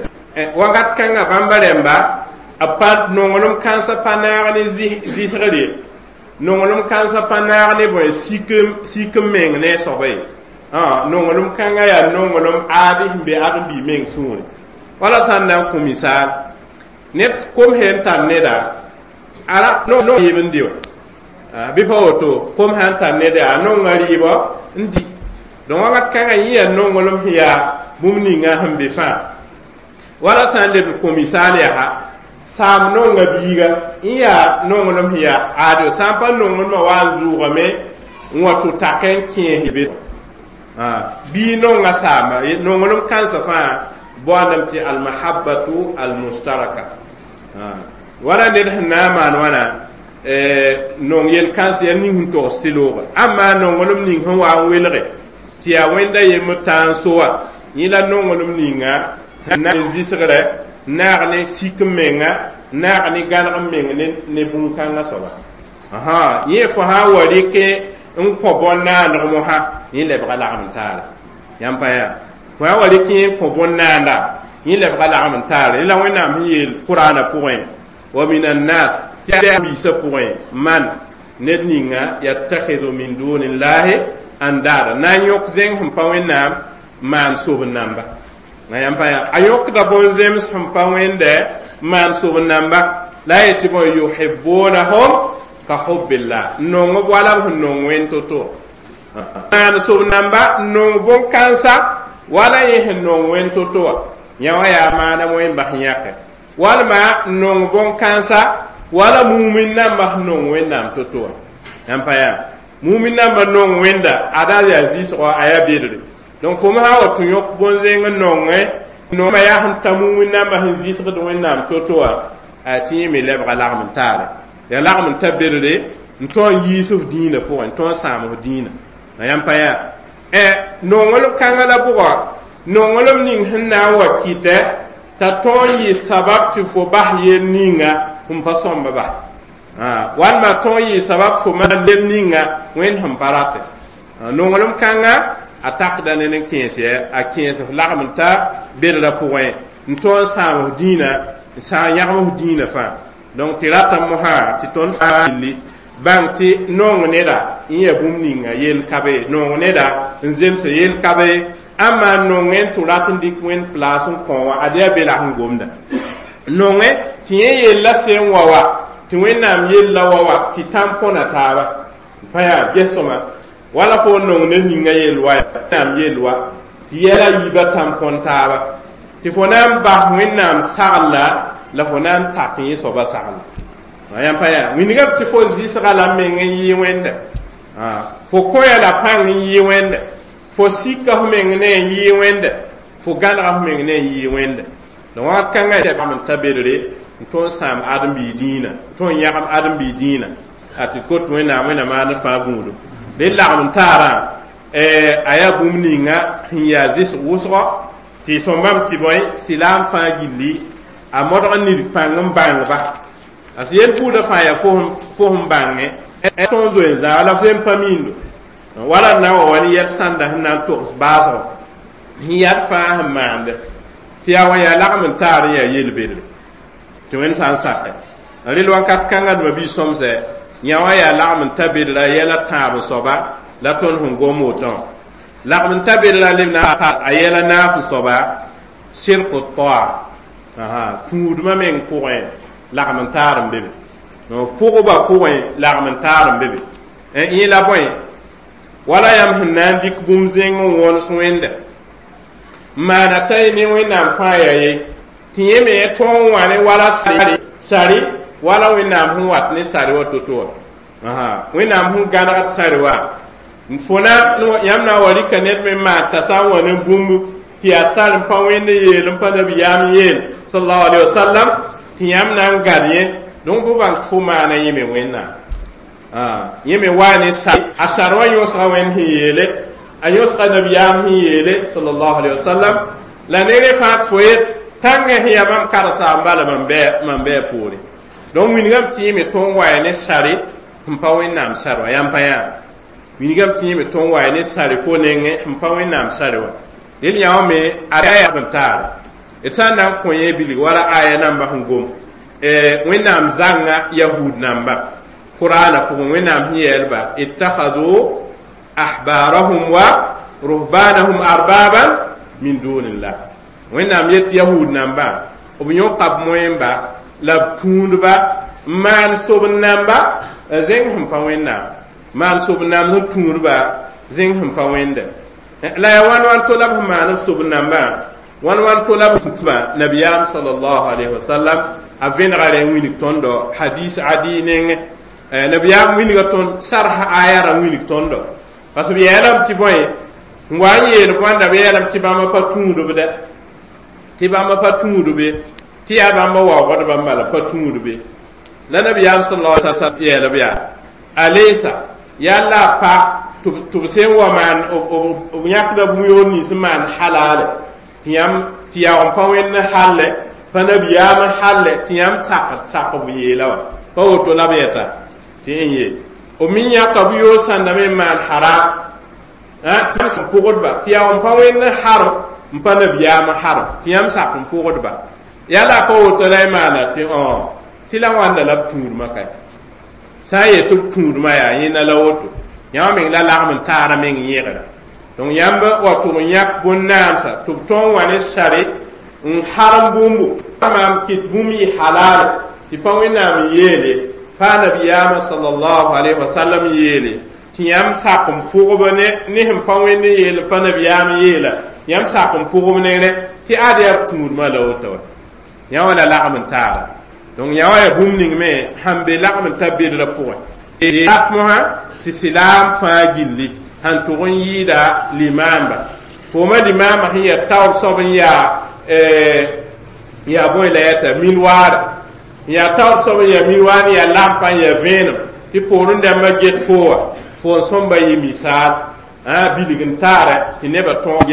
wakat kãngã bãmba rẽmba a pa nonglem kãnsã pa naag ne zɩsgr ye nonglem kãnsã pa naag ne bõe sik n meng ne a soaba ye nonglem kãngã yaa nonglem aad sẽn be ãdem-biig meng sũure wala sã n na n kõ misaal ned kom sẽn tar neda ara no yɩb n dɩ wã bɩ pa woto kom sã n tar neda yaa nonga rɩɩbɔ n di donc wakat kãngã yẽ yaa nonglem sẽn yaa bũmb ninga sẽn be fãa wala sã n leb kõ misaal yaa Saam nonga biiga n yaa nonglem sẽn yaa ado sã n pa nonglmã wa n zʋʋgame n wa tɩ tak n kẽes be bii nonga saamba nonglem kãnsã fãa boondame tɩ almahabatu almustaraka wala ned sẽn na n maan wãna nong yel-kãns yaa ning sẽn togs tɩ looga amma nonglem ning sẽn wa n welge tɩ yaa wẽnda yembr tã n so wã yẽ la nonglem ninga na n zɩsgrɛ naag ne sik n menga naag ne gãneg n meng ne ne bũn-kãngã soaba yẽ fo sã n wa rɩk n kõ bõn-naandg mosã yẽ lebga lagm n taara yãmb pa yaa fo sã wa rɩk n kõ bõn-naanda yẽ lebga lagm n taara la Wẽnnaam sẽn yeel Qur'aana pʋgẽ wa min annas tɩ biisã pʋgẽ man ned ninga yattakhidhu min dunillahi andada na n yõk zẽng sẽn pa Wẽnnaam maan sob namba na yãmb pa yaa a yõkda bõn-zems sẽn pa wẽnde maan sob namba la a yetɩ bõe yuhibbunahum ka hubbillah n nong b wala b sẽn nong wẽnd to-to maan sob namba n nong bõn-kãnsa wala yẽ sẽn nong wẽnd to-to wã yã wã yaa maana wẽn bas yãke walma n nong bõn-kãnsa wala mumin namba sẽn nong Wẽnnaam to-to wã yãmb pa yaa mumin namba nong wẽnda ada yaa zɩsgɔ a yaa bedre donc fo sã wa tɩ yõk bõn-zẽng n nongẽ nongma yaa sẽn ta mumin namba sẽn zɩsgd Wẽnnaam to-to wã a tɩ yẽ me lebga lagm n taare yaa lagm n ta bedre n tõe n yiis f dĩinã pʋgẽ n tõe n sãam f dĩinã na yãmb pa yaa nonglem kãngã la bʋga nonglem ning sẽn na n wa kɩtɛ t'a tõe n yɩ sabab tɩ fo bas yel ninga sẽn pa sõmba ba walma tõe n yɩ sabab fo maan yel ninga Wẽnd sẽn pa ratɛ nonglem kãngã a takda ne n kẽes yɛ a kẽes f lagm n ta bedrã pʋgẽ n tõe n sãam f dĩinã n sã n yãgem f dĩinã fãa donc tɩ rata mosã tɩ tõnd fãa gilli bãng tɩ nong neda n yaa bũmb ninga yel ka be nong neda n zemsa yel ka be ãmma nongẽ n tɩ rat n dɩk Wẽnd place n kõ wã ad yaa be la sẽn gomda nongẽ tɩ yẽ yella sẽn wa wa tɩ Wẽnnaam yella wa wa tɩ tãm-põna taaba pa yaa ges-sõma wala fo nong ned ninga yel wa Wẽnnaam yel wa tɩ yɛla yiibã tãm-põn taaba tɩ fo na n bas Wẽnnaam saglla la fo na n tak yẽ soaba sagla yãmb pa yaa wingame tɩ fo zɩsga la meng n yɩ wẽnda fo kõya la pãng n yɩ wẽnda fo sika f meng ne n yɩ wẽnda fo gãnega f meng ne n yɩ wẽnda donc wakat kãngã bam n ta bedre n tõe n sãam ãdem-biig dĩinã n tõe n yãgem ãdem-biig dĩinã a tɩ kot Wẽnnaam Wẽnnaam maand fãa gũudum d lagm n taarã a yaa bũmb ninga sẽn yaa zɩsg wʋsgɔ tɩ sõmbame tɩ bõe silaam fãa gilli a modg n nid pãng n bãngba parce que yel buudã fãa yaa fo sẽn bãngẽ tõe n zoe n zãag la f sẽn pa miindo wala na wa wa ne yɛl sãnda sẽn na n togs baasgɔ sẽn yad fãa sẽn maande tɩ yaa wa yaa lagm n taar n yaa yel-bedre tɩ Wẽnd sã n sake rel wakat kãngã dũma bi sõmsɛ yã wã yaa lagm n ta bedra yɛla tãab soaba la tõnd sẽn gom wotõ lagm n ta bedra leb na a yɛla naas soaba sɩrk toa tũudmã meng pʋgẽ lagm n taar n be be pʋgba pʋgẽ lagm n taar n be be yẽ la bõe wala yãmb sẽn na n dɩk bũmb zẽng n wõns Wẽnda n maana t'a ye ne Wẽnnaam fãa yaa ye tɩ yẽ me tõe n wã ne wala sari wala Wẽnnaam sẽn wat ne sari wa to-to wã Wẽnnaam sẽn gãnegd sari wa fo na yãmb na n wa rɩka ned me maan t'a sã n wa ne bũmb tɩ yaa sar n pa Wẽnd yeel n pa nabiyaam yeel sallallahu alaihi wasallam tɩ yãmb na n gad yẽ donc fo bãng fo maana yẽ me Wẽnnaam yẽ me waa ne sar a sar wã yõsga Wẽnd sẽn yeele a yõsga nabiyaam sẽn yeele sallallahu alaihi wasallam la nere fãa tɩ fo yet tãngã sẽn yaa mam karsaam bala mam mam bɩ a poore donc wingame tɩ yẽ me tõe n wa ne sare sẽn pa Wẽnnaam sar wã yãmb pa yaa wingame tɩ yẽ me tõe n wa ne sare fo nengẽ sẽn pa Wẽnnaam sare wã del yã wã me a yaa n taare d sã n na n kõ yẽ bilg wala aya namba sẽn gom Wẽnnaam zãnga yahud namba Qur'aana pʋgẽ Wẽnnaam sẽn yeelba ittakhadu ahbarahum wa ruhbanahum arbaban min dunillah Wẽnnaam yet yahud namba b yõka b moẽmba la b tũudba n maan sob namba zẽng sẽn pa Wẽnnaam maan sob namb sẽn tũudba zẽng sẽn pa Wẽnda la yaa wãn wãn to la b sẽn maan b sob nambã wãn wãn to la b sẽn tũba nabiyaam sallallahu alaihi wasallam A vẽnega rẽ wilg tõndo hadis adi nengẽ nabiyaam wilga tõnd sarsa aya rã wilg tõndo parce b yeelame tɩ bõe n wa n yeel bõanda b yeelame tɩ bãmba pa tũudb dɛ tɩ bãmba pa tũudb ye tɩ yaa bãmba waoogd bãmba la pa tũudb ye la nabiyaam sallallahu alaihi wasallam yeelb yaa alaysa yaa la pa tɩ b sẽn wa maan b yãkda bũn-yoor nins n maan halaale tɩ yãmb tɩ yaoog n pa wẽnd halle pa nabiyaam n halle tɩ yãmb sak sak b yeela wã pa woto la b yɛta tɩ n ye b me yãka bu-yoor sãndame n maan haram tɩ yãmb pʋgdba tɩ yaoog n pa wẽnd harem n pa nabiyaam harem tɩ yãmb sak n pʋgdba yaa la pa woto la y maana tɩ tɩ la wãnda la b tũudmã ka sã n yet tɩ b tũudmã yaa yẽnda la woto yãmb meng la lagm n taara meng yẽgra donc yãmb wa tʋg n yãk bõn-naamsa tɩ b tõog n wa ne sare n harem bũmbu maam kɩt bũmb yɩ halaale tɩ pa wẽnnaam n yeele pa nabiyaamã sallallahu alayhi wa sallam yeele tɩ yãmb sak n pʋgb ne ne sẽn pa wẽnd n yeel pa nabiyaam yeela yãmb sak n pʋgb ne rẽ tɩ ad yaa b tũudmã la woto wa yã wã la lagm n taara donc yã wã yaa bũmb ning me sãn be lagm n ta bedrã pʋgẽ rat mosã tɩ silaam fãa gilli sãn tʋg n yɩɩda limaamba fooma limaamã sẽn yaa taoor soab n yaa yaa bõe la yɛta milwaara n yaa taoor soab n yaa milwaar n yaa lampa n yaa vẽenem tɩ poorẽ dãmbã get fo wã fo n sõmba yɩ misaal bilg n taara tɩ nebã tõog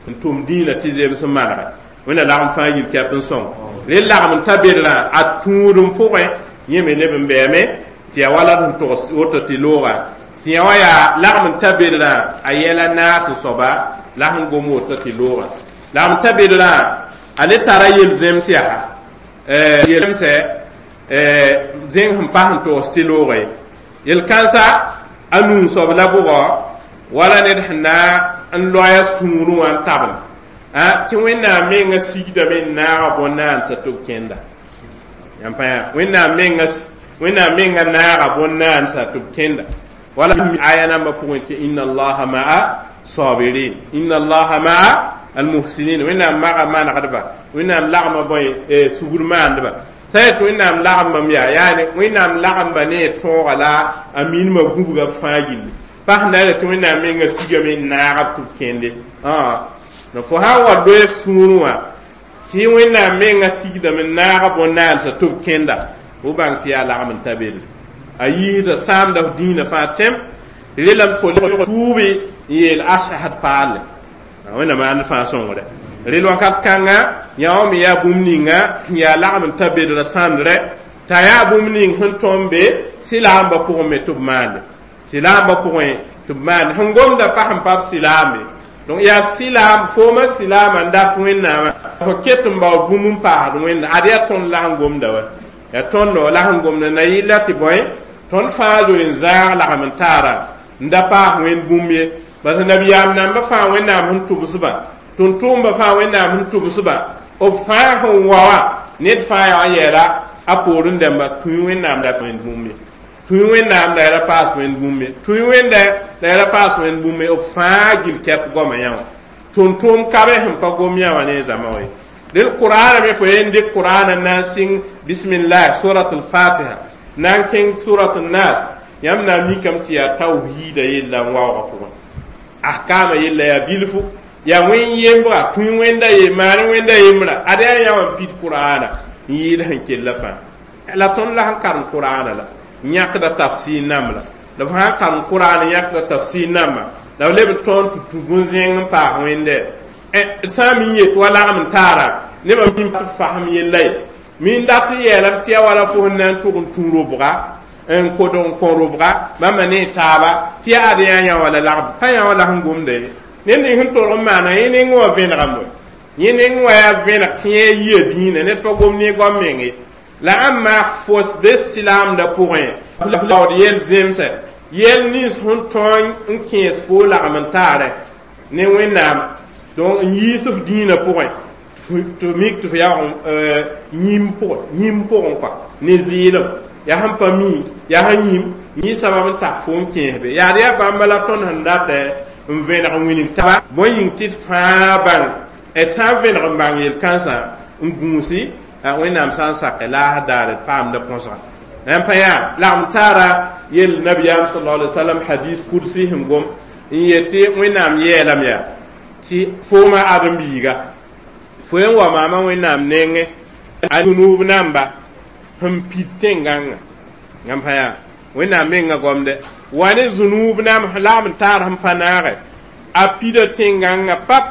n tʋm dĩinã tɩ zems n manega wẽnna lagm fãa yil kɛp n sõng rel lagm n ta bedrã a tũudem pʋgẽ yẽ me leb n bɛɛme tɩ yaa wala sẽn togs woto tɩ looga tɩ yã wã yaa lagm n ta bedrã a yɛla naas soaba la sẽn gom woto tɩ looga lagm n ta bedrã a le tara yel-zems yaa yel-zemsɛ zẽng sẽn pas n togs tɩ looga ye yel-kãnsa a nuu soab la bʋgɔ wala ned sẽn na n loaya sũurẽ wã n tabl tɩ wẽnnaam menga sigdame n naaga bõn-naandsã tɩ b kẽnda yãmb pa yã wẽnnaam menga wẽnnaam menga naaga bõn-naandsã tɩ b kẽnda wala aya nambã pʋgẽ tɩ inna allaha ma'a sabirin inna allaha ma'a almuhsinin wẽnnaam maga manegdba wẽnnaam lagma bõe sugr maandba sã yet wẽnnaam lagmbame yaa yaani wẽnnaam lagmba ne tõoga la a minimã gũbga b fãa gilli pa sẽn na tɩ wẽnnaam menga sigame n naag b tɩ b kẽnde no fo sã n wa loe sũurẽ wã tɩ wẽnnaam menga sigdame n naaga bõn-naandsã tɩ b kẽnda fo bãng tɩ yaa lagm n ta bedre a yiisda sãamda f dĩinã fãa tẽm relame fo tuubi n yeel ashad paalle wẽnna maand fãa sõngre rel wakat kãnga yã wã me yaa bũmb ninga sẽn yaa lagm n ta bedrã sãndrɛ t'a yaa bũmb ning sẽn tõm be sɩlaambã pʋgẽ me tɩ b maande sɩlaambã pʋgẽ tɩ b maande sẽn gomda pa sẽn pa b sɩlaambe donc yaa sɩlaam foomã sɩlaamã n dat wẽnnaamã fo ket n bao bũmb n paasd wẽnda ad yaa tõnd la sẽn gomda wa yaa tõndo la sẽn gomda na yɩla tɩ bõe tõnd fãa zoe n zãag lagm n taara n da paas wẽnd bũmb ye parce nabiyaam nambã fãa wẽnnaam sẽn tʋbsba tʋm-tʋʋmbã fãa wẽnnaam sẽn tʋbsba b fãa sẽn wa wã ned fãa yaa n yɛɛla a poorẽ dãmba tũi wẽnnaam la wẽnd bũmb ye tũi wẽnnaam la ya ra paas wẽnd bũmb ye tũi wẽnda la ya ra paas wẽnd bũmb ye b fãa gil kɛp goamã yã wã tʋm-tʋʋm kabe sẽn pa gom yã wã ne zãma wa ye del qur'ana me fo yen dɩk qur'ana na n sɩng bismillah surat al-fatiha na n kẽng surat al-nas yãmb na n mikame tɩ yaa tawhiida yella n waoogã pʋgẽ ahkama yella yaa bilfu yaa wẽn yembga tũi wẽnda ye maan wẽnda yembrã ad yaa yã wã n pid qur'ana n yɩɩd sẽn kella fãa la tõnd la sẽn karem qur'ana la n yãkda tafsir namb la la f sã n karem qur'ana yãkda tafsir namba la b leb n tõnd tɩ tũ bũn-zẽng n paas wẽnde sã n mi yet wa lagm n taara nebã mi fasem yella ye min dat n yeelame tɩ yaa wala fo sẽn na n tʋg n tũ robga n kod n kõ robga bãmba ne taaba tɩ yaa ad yã yã wã la lagm pa yã wã la sẽn gomda ye ned ning sẽn tolg n maana yẽ neng wã vẽnegame yẽ neng wã yaa vẽneg tɩ yẽ yia dĩinã ned pa gom ne goam meng ye la ãmb maak fos be silaamdã pʋgẽ laood yel zemsɛ yel nins sẽn tõe n kẽes fo lagm n taarɛ ne wẽnnaam donc n yiis f dĩinã pʋgẽ tɩ mik tɩ f yaoog yĩm pʋgẽ yĩm pʋgẽ kɔa ne zɩɩlem yaa sẽn pa mi yaa sẽn yĩm yẽ sabab n tak fo n kẽesbe yaad yaa bãmba la tõnd sẽn datɛ n vẽneg n wilg taaba bõe yĩng tɩ d fãa bãng d sã n vẽneg n bãng yel-kãnsã n gũusi Wẽnnaam sã n sake laasd daare d paamda põsga n pa yaa lagm taara yel nabiyaam sallallahu alaihi wasallam hadis kudsi sẽn gom n yetɩ Wẽnnaam yeelame yaa tɩ fooma ãdem-biiga fo n wa maama Wẽnnaam nengẽ a zunub namba sẽn pid tẽn-gãngã yãmb pa yaa Wẽnnaam mengã gomde wa ne zunub nam lagm n taar sẽn pa naage a pida tẽn-gãngã pap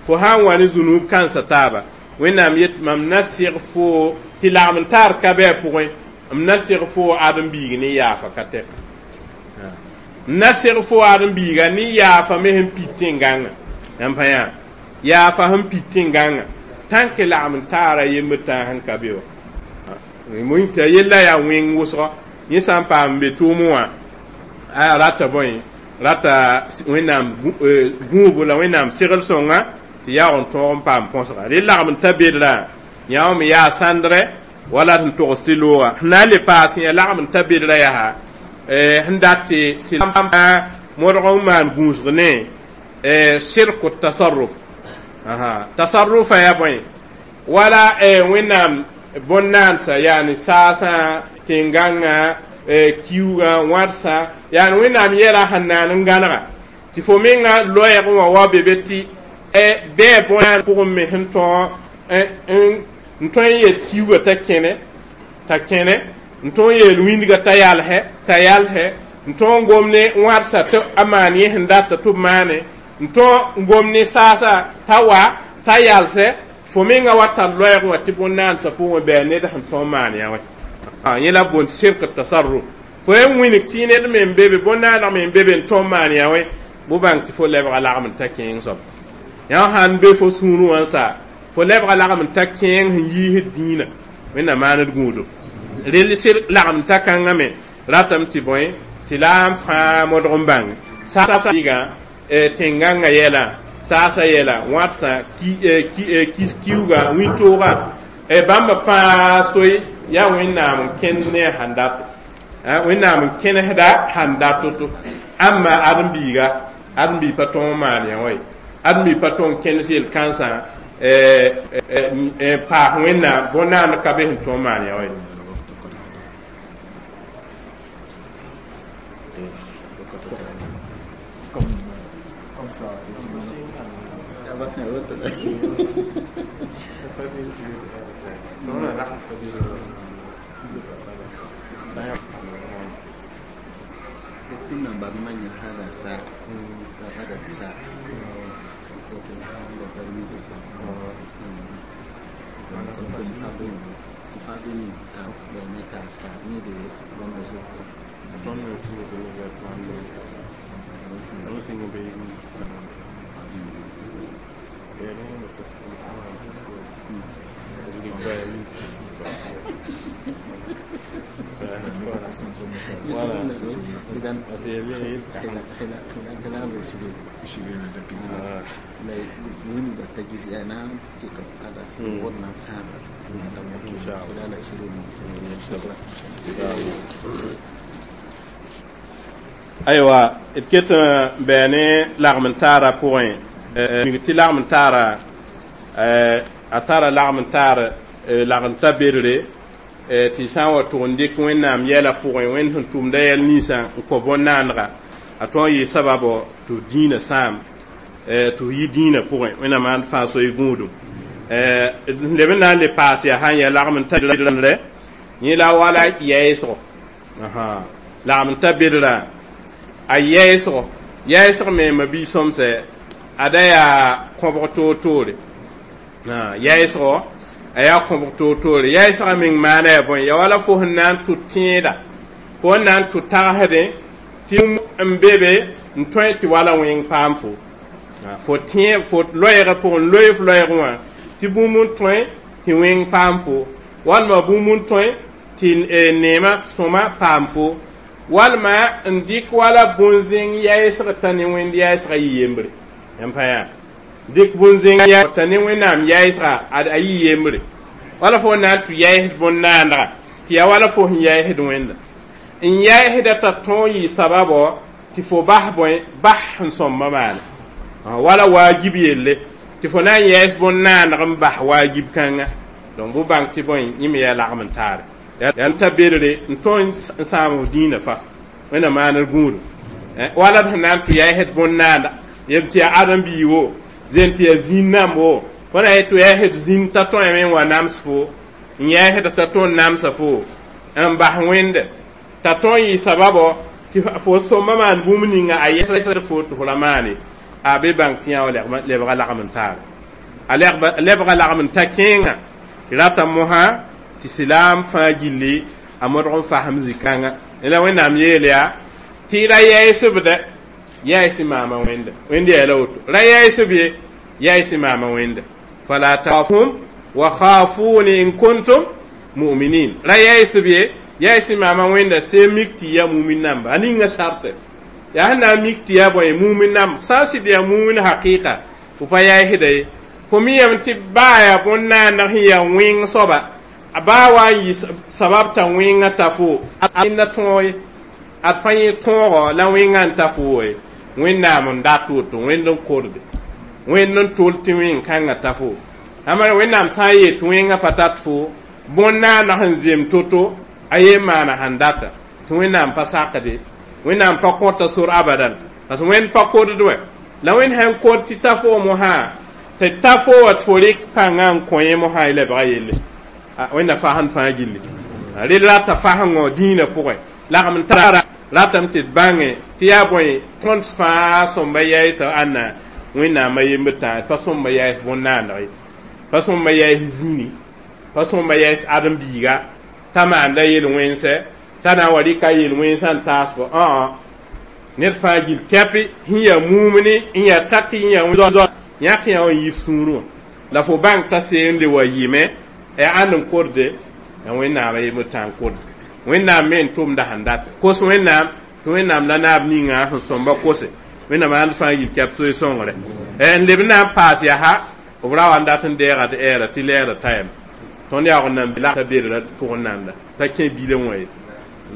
fo sã n wa ne zunub kãnsã taaba Wẽnnaam yet mam na seg fo tɩ lagm n taar ka bɩ a pʋgẽ m na seg fo ãdem-biig ne yaafa ka tɛka m na seg fo ãdem-biiga ne yaafa me sẽn pid tẽn-gãngã yãmb pa yaa yaafa sẽn pid tẽn-gãngã tãnk lagm n taara yembr tãag sẽn ka be wa t'a yella yaa wẽng wʋsgɔ yẽ sã n paam n be tʋʋmẽ wã a rata bõe rata Wẽnnaam gũubu la Wẽnnaam segl sõnga tɩ yaoog n tõog n paam põsga rẽ lagm n ta bedrã yã me yaa sãndrɛ wala sẽn togs tɩ looga sẽn na n le paas yã lagm n ta bedrã yaa sẽn dat tɩ sɩlam modg n maan gũusg ne sirku tasarruf tasarrufa yaa bõe wala Wẽnnaam bõn-naansa yaani saasã tẽn-gãngã kiuugã wãdsã yaani Wẽnnaam yɛla sẽn naan n gãnega tɩ fo menga loɛɛg wã wa be be tɩ bɩ bõn pʋgẽ me sẽn tõog n tõe n yet kiuugã t'a kẽne t'a kẽne n tõog n yeel wĩndgã t'a yalsɛ t'a yalsɛ n tõog n gom ne wãdsa tɩ a maan yẽ sẽn data tɩ b maane n tõog n gom ne saasã t'a wa t'a yalsɛ fo menga wa tar loɛɛg wã tɩ bõn-naansã pʋgẽ bɩ a ned sẽn tõog maan yã wã yẽ la boond sirk tasarruf fo n wilg tɩ ned me n be be bõn-naaneg me n be be n tõog maan yã wã bʋ bãng tɩ fo lebga lagm n ta kẽeng soab yã sãn be fo sũurẽ wã n sa fo lebga lagm n ta kẽeng sẽn yiisd dĩinã Wẽnnaam maand gũudum rel sɩd lagm ta kãngã me ratame tɩ bõe sɩlaam fãa modg n bãng saasã tẽn-gãngã yɛla saasã yɛla wãdsã kiuugã wĩntoogã bãmba fãa soe yaa Wẽnnaam n kẽnd ne a sãn dato Wẽnnaam n kẽnesda sãn dat to-to ãmba ãdem-biiga ãdem-biig pa tõog n maan yã wa ye ãdem-biig pa tõog n kẽnes yel-kãnsã n paas Wẽnnaam bõn-naand ka be sẽn tõog n maan yã wa ye. كنا برمجنا هذا ساعة وغدا ساعة إذا خلال خلال عشرين دقيقة لا من بتجزي أنا تلك هذا ورنا سابع خلال عشرين شكرا. أيوة إتكت بياني لغم تارا بوين tɩ lagm n taara a tara lagm n taar lagm ta bedre tɩ sã n wa tʋg n dɩk Wẽnnaam yɛla pʋgẽ Wẽnd sẽn tʋmda yɛl ninsã n kõ bõn-naanega a tõog n yɩ sababo tɩ f dĩinã sãam tɩ f yi dĩinã pʋgẽ Wẽnnaam maand fãa soy gũudum leb n na n le paas yaa sã n yaa lagm n ta rɛ yẽ la wala yɛɛsgo lagm n ta bedrã a yɛɛsgo yɛɛsg me ma bi-sõmsɛ ada yaa kõbg toor-toore yɛɛsgo a yaa kõbg toor-toore yɛɛsgã meng maana yaa bõe ya wala fo sẽn na n tʋ tẽeda fo n na n tʋ tagsdẽ tɩ n be be n tõe tɩ wala wẽng paam fo fo tẽ fo loɛɛgã pʋgẽ n loe f loɛɛg wã tɩ bũmb n tõe tɩ wẽng paam fo walma bũmb n tõe tɩ neemã sõma paam fo walma n dɩk wala bõn-zẽng yɛɛsg t'a ne wẽnd yɛɛsgã yɩ yembre yãmb pa yaa dɩk bõn-zẽng t'a ne Wẽnnaam yɛɛsga a yɩ yembre wala fo na n tɩ yɛɛsd bõn-naandga tɩ yaa wala fo sẽn yɛɛsd Wẽnda n yɛɛsda t'a tõog yɩ sababo tɩ fo bas bõe bas sẽn sõmba maane wala waajib yelle tɩ fo na n yɛɛs bõn-naandg n bas waajib kãnga Donc bɩ bãng tɩ bõe yẽ me yaa lagm n taare yaa n ta bedre n tõe n sãam f dĩinã fa wẽnnaam maanr gũudum wala d sẽn na n tɩ yaa bõn-naanda yem tɩ yaa ãdem-biig wo zen tɩ yaa zĩn nãmb wo fo na yet tɩ yaa d zĩn t'a tõeme n wa nams fo n yɛɛsd t'a tõe n namsa fo n bas wẽnde t'a tõe n yɩ sababo tɩ fo sõmba maan bũmb ninga a yɛsd fo tɩ fo ra maane a be bãng tɩ yã wa lebga lagm n taare a lebga lagm n ta kẽenga tɩ rata mosã tɩ silaam fãa gilli a modg n fasem zĩ-kãnga la wẽnnaam yeel yaa tɩ ra yɛɛsbdɛ yɛɛs maama wẽnda wẽnd yaa la woto ra yɛɛsb ye yɛɛs maama wẽnda fala takhafum wa khafuni in kuntum mu'minin ra yɛɛsb ye yɛɛs maama wẽnda see mik tɩ yaa mumin namba a ninga sarte yaa sẽn na n mik tɩ yaa bõe mumin namba sã n sɩd yaa mumin hakɩɩka fo pa yɛɛsda ye fo mi yame tɩ baa yaa bõn-naandg sẽn yaa wẽng soaba a baa wa n yɩ sabab t'a wẽngã ta fo a tõog ye ad pa yẽ tõogo la wẽngã n ta fo ye wẽnnaam n dat woto wẽnd n korde wẽnd n tol tɩ wẽng-kãngã ta fo amara wẽnnaam sã n yet wẽngã pa tat fo bõn-naandg sẽn zem to-to a yen maana sẽn data tɩ wẽnnaam pa sakde wẽnnaam pa kõta sor abadan parce que wẽnd pa kodd wɛ la wẽnd sãn kod tɩ ta fo mosã tɩ ta fo wa tɩ fo rɩk pãngã n kõ yẽ mosã y lebga yelle wẽnna fasẽnd fãa gilli rel rata fasengõ dĩinã pʋgẽ lagm n tara ratame tɩ d bãnge tɩ yaa bõe tõnd fãa sõmba yɛɛsa ãnna wẽnnaamã yembd tã pa sõmba yɛɛs bõn-naandg ye pa sõmba yɛɛs zĩni pa sõmba yɛɛs ãdem-biiga t'a maanda yel-wẽnsɛ t'a na n wa rɩka yel-wẽnsã n taas fo ãa ned fãa gil kɛpɩ sẽn yaa mumni n yaa taki n yaa yãk yã wã n yif sũurẽ wã la fo bãng t'a seen le wa yɩme yaa ãnd n korde ya wẽnnaamã yembd tã n korde wẽnnaam me n tʋmda sẽn data kos wẽnnaam tɩ wẽnnaam la naab ninga sẽn sõmba kose wẽnnaam ãnd fãa yil kɛp soe sõngre n leb na n paas yaa b ra wa n dat n deega d ɛɛra tɩ lɛɛra tayame tõnd yaoog n nan la bedra pʋgẽ nanda t'a kẽ bilẽ wã ye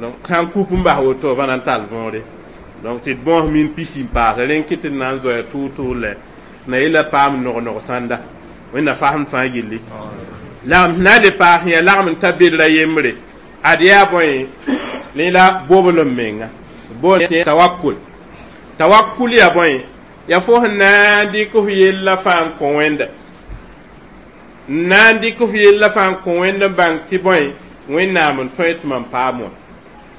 donc sã n kup n bas woto va na n tall võore donc tɩ d bõos min pisi n paase rẽn kɩ tɩ d na n zoaya tʋʋg-tʋʋg lɛ na yella paam nog-nog sãnda wẽnna fasem fãa gilli lagm na le paas yaa lagm n ta bedra yembre ad yaa bõe ne la bobl n menga bool tawakkul tawakkul yaa bõe yaa fo sẽn na n dɩk f yella fãa n kõ wẽnda n na n dɩk f yella fãa n kõ wẽnd n bãng tɩ bõe wẽnnaam n tõe tɩ mam paam wã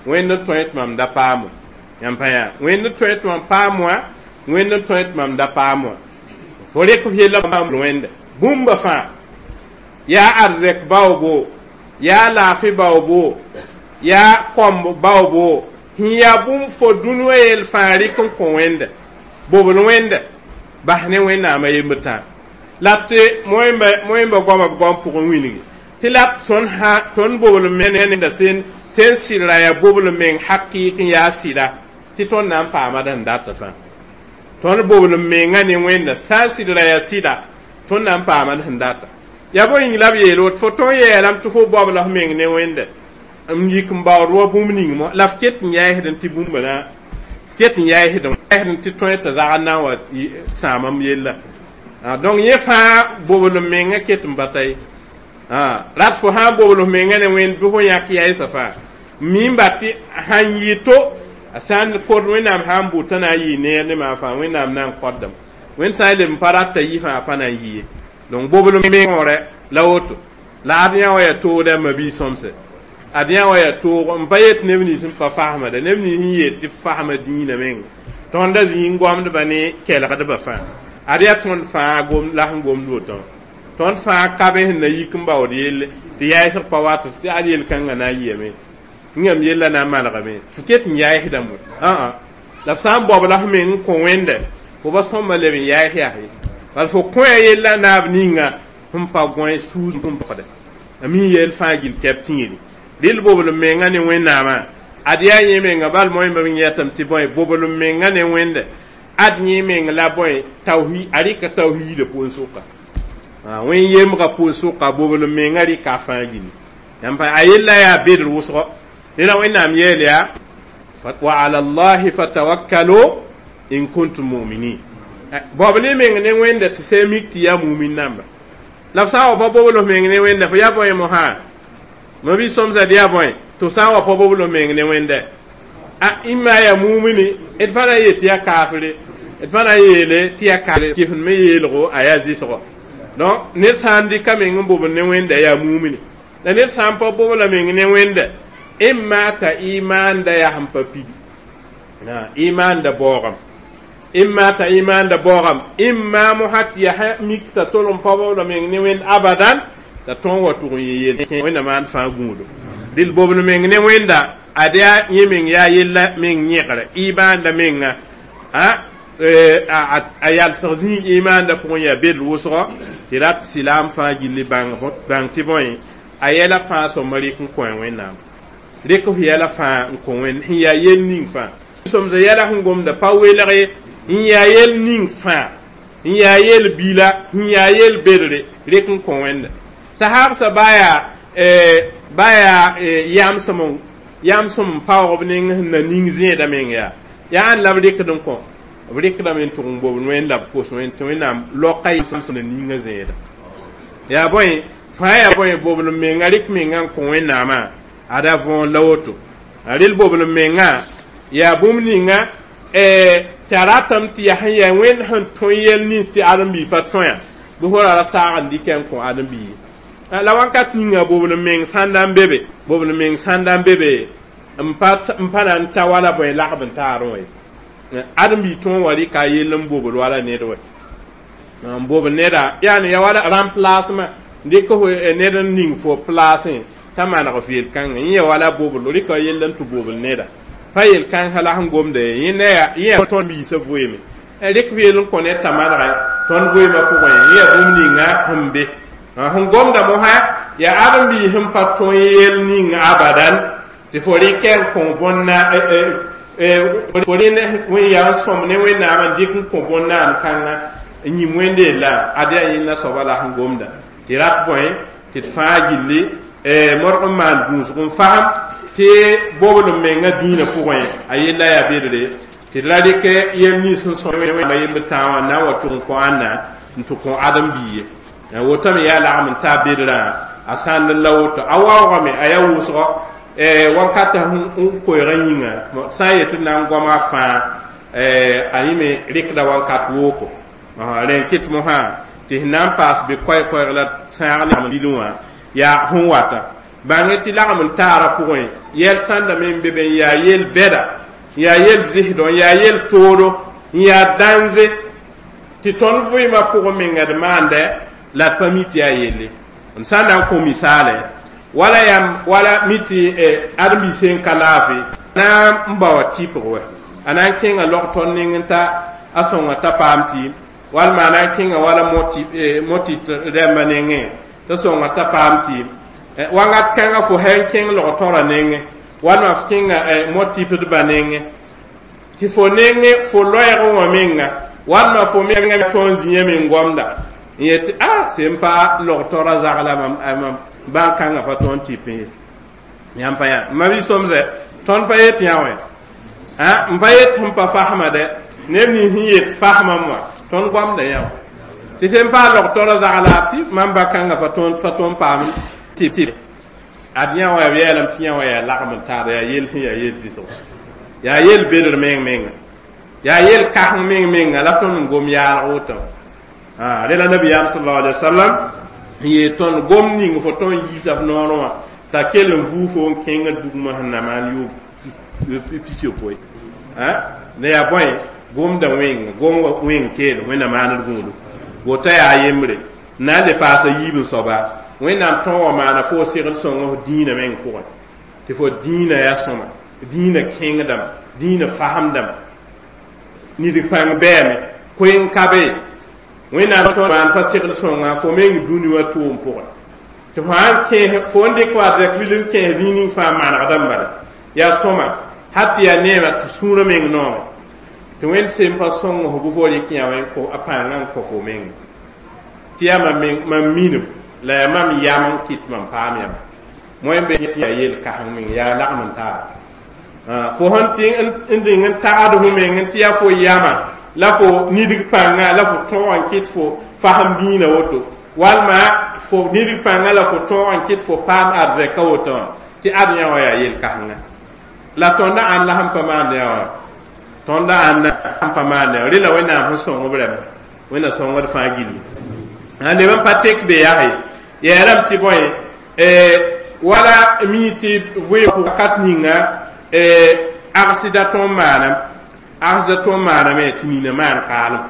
wẽnd n tõe tɩ mam da paam wã yãmb pa yaa wẽnd n tõe tɩ mam paam wã wẽnd n tõe tɩ mam da paam wã fo rek f yella wẽnda bũmba fãa yaa arzɛk baoobo yaa laafɩ baoobo yaa kõmb baoobo sẽn yaa bũmb fo dũni wã yell fãa rɩk n kõ wẽnda bobl wẽnda bas ne wẽnnaamã yembd tã la tɩ moẽmba goama b goam pʋgẽ wilgi tɩ la tõnd sã tõnd bobl nenda sẽn sẽn sɩdra yaa bobl meng hakɩɩk n yaa sɩda tɩ tõnd na n paama d sẽn data fãa tõnd bobl mengã ne wẽnda sã n sɩdra yaa sɩda tõnd na n paama d sẽn data yaa bõe yĩng la b yeel woto fo tõn yeelame tɩ fo baobla f meng ne wẽnda n yik n baood wa bũmb ning mo la f ket n yɛɛsd tɩ bũmba na f ket n yɛɛsd tɩ tõe t'a zagd na n wa sãamam yella donc yẽ fãa bobl mengã ket n bata ye rat fo sã n bobl f mengã ne wẽnd bɩ fo yãk yɛɛsa fãa mi n bat tɩ sãn yɩ to a sã n kod wẽnnaam sã n bʋ t'a na n yɩ neer ne maan fãa wẽnnaam na n kõtdame wẽnd sã n leb n pa rata yɩ fãa pa na n yɩ ye donc bobl mengõrɛ la woto la ad yã wa yaa toogda mabi sõmse ad yã wa yaa toog n pa yet neb nins n pa fasmda neb nins n yet tɩ b fasma dĩinã menga tõnda zĩig n goamdba ne kelgdbã fãa ad yaa tõnd fãa gom la sẽn gomd woto tõnd fãa ka be sẽn na yik n baood yelle tɩ yaɛsg pa wat tɩ ad yel-kãngã na n yɩame yãmb yella na n malgame fo ket n yaɛsdame ã la f sã n baobla f meng n kõ wẽnda fo ba sõmba leb n yaɛs yaa ye bala fo kõ ya yella naab ninga sẽn pa gõe suus n pʋgda a mi yel fãa gil kɛb tĩiri dɩl bobl menga ne wẽnnaamã ad yaa yẽ menga bal moẽmba me yɛtame tɩ bõe bobl menga ne wẽnda ad yẽ meng la bõe tawhi a rɩka tawhiidã pʋʋn-sʋka wẽn yemgã pʋʋn-sʋka bobl menga rɩka a fãa gilli yãmb a yella yaa bedr wʋsgo rẽla wẽnnaam yeel yaa wa ala llahi fatawakkalu in kuntum muminin baobl y meng ne wẽnda tɩ sã mik tɩ yaa mumin namba La f sã n wa pa bobl f meng ne Wẽnda, fo yaa bõe mosã? Ma bi sõmsa d yaa bõe tɩ f sã n wa pa bobl f meng ne Wẽnda? A ĩmma yaa mumini, d pa na n yet tɩ yaa kaafre, d pa na n yeele tɩ yaa kaafre, kɩsem me yeelgo a yaa zɩsgɔ. Donc ned sã n dɩka meng n bobl ne Wẽnda, yaa mumini, la ned sã n pa bobla meng ne Wẽnda, ĩmma t'a imaanda yaa sẽn pa pidi, imaanda baoogame, imma t'a imaanda baoogame, imma mosã tɩ yaa mik t'a tolg n pa bobla meng ne Wẽnd abadan, t'a tõog wa tʋg n yẽ yel Wẽnda maan fãa gũudo. Dɩl bobl meng ne Wẽnda, ad yaa yẽ meng yaa yella meng yẽgre imaanda menga, a a yalsg zĩig imaanda pʋgẽ yaa bedl wʋsgɔ tɩ rat silaam fãa gilli bãng bãng tɩ bõe a yɛla fãa sõma rɩk n kõ Wẽnnaam, rɩk f yɛla fãa n kõ Wẽnd sẽn yaa yel ning fãa. Sõmsa yɛla sẽn gomda pa welg ye, n yaa yel ning fãa, n yaa yel bila, n yaa yel bedre, rɩk n kõ Wẽnda. Sahabsã baa yaa baa yaa yamsem yamsem n paoog b neng sẽn na ning zẽedã meng, yaa yaa ãn la b rɩkd n kõ, b rɩkdame n tʋg n bobd Wẽnd la b kos Wẽnd tɩ Wẽnnaam loka yamsem na ninga zẽeda. Yaa bõe fãa yaa bõe bobl menga rɩk menga n kõ Wẽnnaamã, ada võor la woto. Rel bobl menga yaa bũmb ninga tɩ a ratame tɩ yaa sẽn yaa Wẽnd sẽn tõe yɛl nins tɩ ãdem-biig pa tõe bɩ fo ra ra saag n dɩkɛ n kõ ãdem-biig. La wãnkat ninga bobl meng sãn da n be be, bobl meng sãn da n be be n pa n pa na n ta wala bõe lagb n taarẽ wã ye. Ãdem-biig tõog wa rɩka a yell n bobl wala ned wɛ, n bobl neda yaani ya wala remplacement, dɩk f ned n ning fo placẽ t'a maneg f yel-kãngã, yẽ ya wala bobl rɩka yell n tɩ bobl neda pa yel-kãngã la sẽn gomda ye, yẽ yaa yẽ yaa tõnd biisã vɩɩme, rɩk f yell n kõ ned t'a manegẽ tõnd vɩɩmã pʋgẽ, yẽ yaa bũmb ninga sẽn be sẽn gomda mosã, yaa ãdem-biis sẽn pa tõe yel ning abadan tɩ fo rɩkɛ n kõ bõnna, fo rẽ wẽn yaa n sõm ne Wẽnnaam n dɩk n kõ bõn-naam kãngã n yĩm Wẽnde la ad yaa yẽnda soaba la sẽn gomda tɩ rat bõe tɩ d fãa gilli modg n maan gũusg n fasem tɩ bobl n menga dĩinã pʋgẽ a yella yaa bedre tɩ d ra rɩk yel nins sẽn sõm Wẽnnaam yemb tãa wã na n wa tʋg n kõ ãnna n tɩ kõ ãdem-biig ye. Wotame yaa lagm n taa bedrã a sãnd la woto a waoogame a yaa wʋsgɔ wãnkata n koeegã yĩnga sã n yet tɩ d na n goama fãa a yẽ me rɩkda wãnkat wooko rẽ n kɩt mosã tɩ sẽn na n paas bɩ koɛɛ-koɛɛg la sãag ne bilẽ wã yaa sẽn wata bãng tɩ lagm n taara pʋgẽ yɛl sãnda me n be be n yaa yel bɛda, n yaa yel zɩsdɔ, n yaa yel toodo, n yaa dãnze tɩ tõnd vɩɩmã pʋgẽ menga d maandɛ la d pa mi tɩ yaa yelle. M sã n na n kõ misaale wala yam wala mi tɩ ãdem-biig sẽn ka laafɩ na n bao a tɩpg wɛ, a na n kẽnga log tõnd ning n ta a sõnga t'a paam tɩɩm, walma a na n kẽnga wala moti rãmbã nengẽ t'a sõnga t'a paam tɩɩm. Wãngat kãngã fo sã n kẽng log tõrã nengẽ walma f kẽnga mo-tɩpdbã nengẽ tɩ fo nengẽ fo loɛɛg wã menga walma fo menga tõnd zĩyã meng gomda n yet a sẽn pa log tõrã zagla mam bãn-kãngã pa tõnd tɩp ye. Yãmb pa yã ma bi sõmsɛ tõnd pa yet yã wẽ n pa yet sẽn pa fasma dɛ neb nins sẽn yet fasmam wã tõnd goamda yã wã tɩ sẽn pa log tõrã zagla tɩ mam ba-kãngã pa tõnd pa tõnd paam tɩp ad yã wã b yeelame tɩ yã wã yaa lagm n taar yaa yel sẽn yaa yel dɩsgo, yaa yel bedr meng menga, yaa yel kaseng meng menga la tõnd n gom yaalg woto. Rẽ la nabiyaam sallallahu alaihi wasallam n yeel tõnd gom ning fo tõnd yiisa f noorẽ wã t'a kell n vuu fo n kẽngd bugmã sẽn na maan yʋʋm pis-yopoe la yaa bõe gomda wẽng gom wẽng keel Wẽnna maand gũudu wota yaa yembre n na n le paasa yiib n soaba Wẽnnaam tõog wã maana fo segl sõng f dĩinã meng pʋgẽ tɩ fo dĩinã yaa sõma, dĩinã kẽngdame, dĩinã fasemdame, nidg pãng bɛɛme koe n ka be Wẽnnaam tõog maan fa segl sõnga fo meng dũni wã tʋʋm pʋgẽ tɩ fo sãn kẽes fo n dɩk wa zɛk bil n kẽes zĩig ning fãa manegdame bala yaa sõma hal tɩ yaa neema tɩ sũurã meng noome tɩ Wẽnd sem pa sõng f bɩ fo rɩk yã wẽ a pãngã n kõ fo meng tɩ yaa mam meng mam minim la yaa mam yam n kɩt mam paam yãmb moẽ be tɩ yaa yel kaseng meng yaa lagm n taara fo sẽn tɩ n dĩng n tagd fo meng n tɩ yaa fo yama la fo nidg pãnga la fo tõog n kɩt fo fasem dĩinã woto. Walma fo nidg pãngã la fo tõog n kɩt fo paam arzɛka woto wã tɩ ad yã wã yaa yel-kãsenga la tõndã ãnd la sẽn pa maand yã wã tõndã ãnda sẽn pa maand yã rẽ la Wẽnnaam sẽn sõng b rãmba Wẽnna sõngd fãa gilli a leb n pa tek be yaa ye yeelame tɩ bõe wala mi tɩ vɩ wakat ninga agsda tõnd maanam agsda tõnd maaname tɩ nina maan kaalem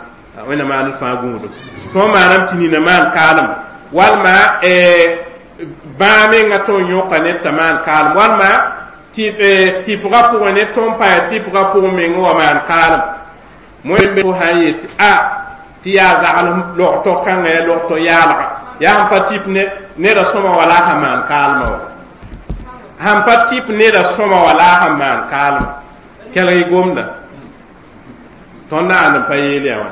Wẽnna maand fãa gũudum tõnd maanam tɩ nina maan kaalem walma bãa menga tõnd yõka ned t'a maan kaalem walma tɩpga pʋgẽ ne tõnd pa yaa tɩpga pʋgẽ meng wa maan kaalem moe fo sã n yet a tɩ yaa zaglem logto kãngã yaa logto yaalga yaa sẽn pa tɩp neda sõma wala a sã maan kaalmã wa sãn pa tɩp neda sõma wala a sẽn maan kaalmã kelg y gomda tõnd ãnd n pa yeel yaa wã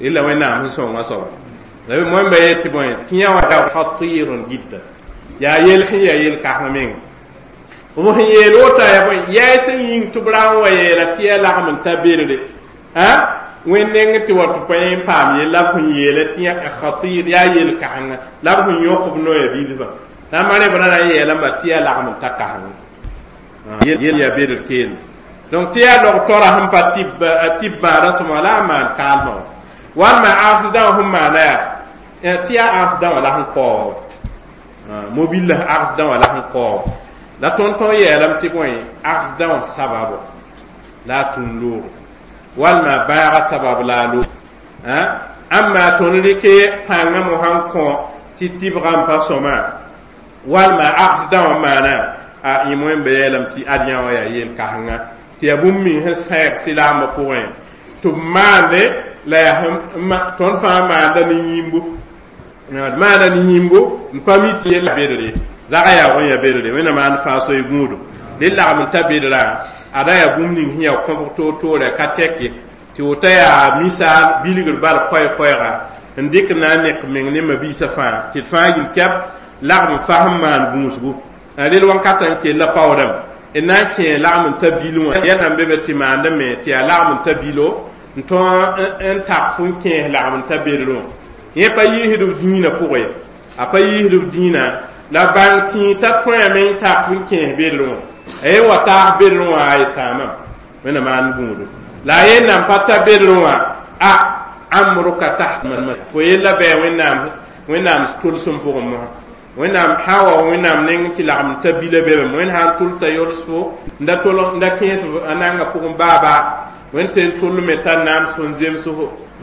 illa Wẽnnaam sẽn sõnga soaba la moẽmba yet tɩ bõe tɩ yã wã khatirun jidda yaa yel sẽn yaa yel-kãseng menga b sẽn yeel woto yaa bõe yɛɛ sẽn yĩng tɩ b ra n wa yeela tɩ yaa lagm n ta bedre a Wẽnd neng tɩ wa tɩ pa yẽ n paam yell la b sẽn yeela tɩ yã khatir yaa yel-kãsenga la b sẽn yõk b noya bilfã la n ma b ra na n yeelame tɩ yaa lagm n ta kãsenga yel yaa bedr keelem donc tɩ yaa log tora sẽn pa tɩ bãada sõma la a maan kaalmã wã walma agsdã wã sẽn maana yaa tɩ yaa agsdã wã la sẽn kaoog mobil la agsdã wã la sẽn kaoog la tõnd tõnd yeelame tɩ bõe agsdã wã sababo la a tũn loogo walma bãaga sabab la a loog ãmma tõnd rɩke pãngã mosã n kõ tɩ tɩbgã n pa sõma walma agsdã wã maana a yẽ moẽmba yeelame tɩ ad yã wã yaa yel-kãsenga tɩ yaa bũmb meng sẽn sɛɛg silaambã pʋgẽ tɩ b maande la yaa tõnd fãa maanda ne yĩmbo maanda ne yĩmbo n pa mi tɩ yella bedre zaga yaa wẽn yaa bedre Wẽnna maand fãa soy gũudum dẽ lagm n ta bedrã ada yaa bũmb ning sẽn yaa kõbg toor-toore ka tɛk ye tɩ woto yaa misaal bilgr bal koɛɛ-koɛɛga n dɩk na n nek meng ne mabiisã fãa tɩ d fãa yil kɛb lagm n fasem maan gũusgu rel wãnkata n kell paoodame d na n kẽ lagm n ta bil wã yɛl sãn be be tɩ maandame tɩ yaa lagm n ta bilo n tõog n tak fo n kẽes lagm n ta bedr wã yẽ pa yiisd b dĩinã pʋgẽ ye a pa yiisd b dĩinã la bãng tĩig t'a tõeme n tak n kẽes bedr wã a yen wa taas bedr wã a y sãamam Wẽnna maan gũudum la a yen nan pa ta bedr wã a amruka taht fo yella bɩ Wẽnnaam Wẽnnaam tʋlsem pʋgẽ mosã Wẽnnaam sã wa Wẽnnaam neng tɩ lagm ta bila bebe Wẽnd sã n tʋl t'a yols fo n da tol n da kẽes a nanga pʋgẽ baabaa Wẽnd sẽn tʋlme t'a nams n zems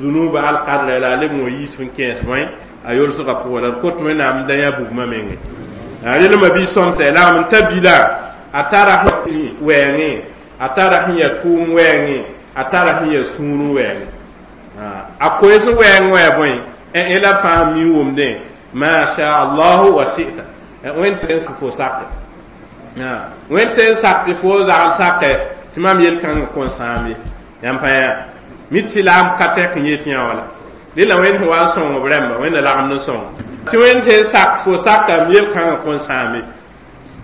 zunuba alkadra la a leb n wa yiis n kẽes bõe a yolsgã pʋgẽ la d kot Wẽnnaam da yã bugmã menge rel ma-bi sõmsɛ lagm n ta bila a tara sẽn wɛɛngẽ a tara sẽn yaa tʋʋm wɛɛngẽ a tara sẽn yaa sũurẽ wɛɛngẽ a koes wɛɛng wã yaa bõe ẽ la fãa mi wʋmdẽ ma sha allahu wa shi'ta Wẽnd sẽn fo sake Wẽnd sẽn sak tɩ fo zagl sake tɩ mam yel-kãngã kõn sãam ye yãmb pa yaa mit silaam ka tɛk n yet yã wala dẽ la Wẽnd sẽn wa n sõng b rãmba Wẽnna lagem n sõng tɩ Wẽnd sẽn sak fo sakam yel-kãngã kõn sãam ye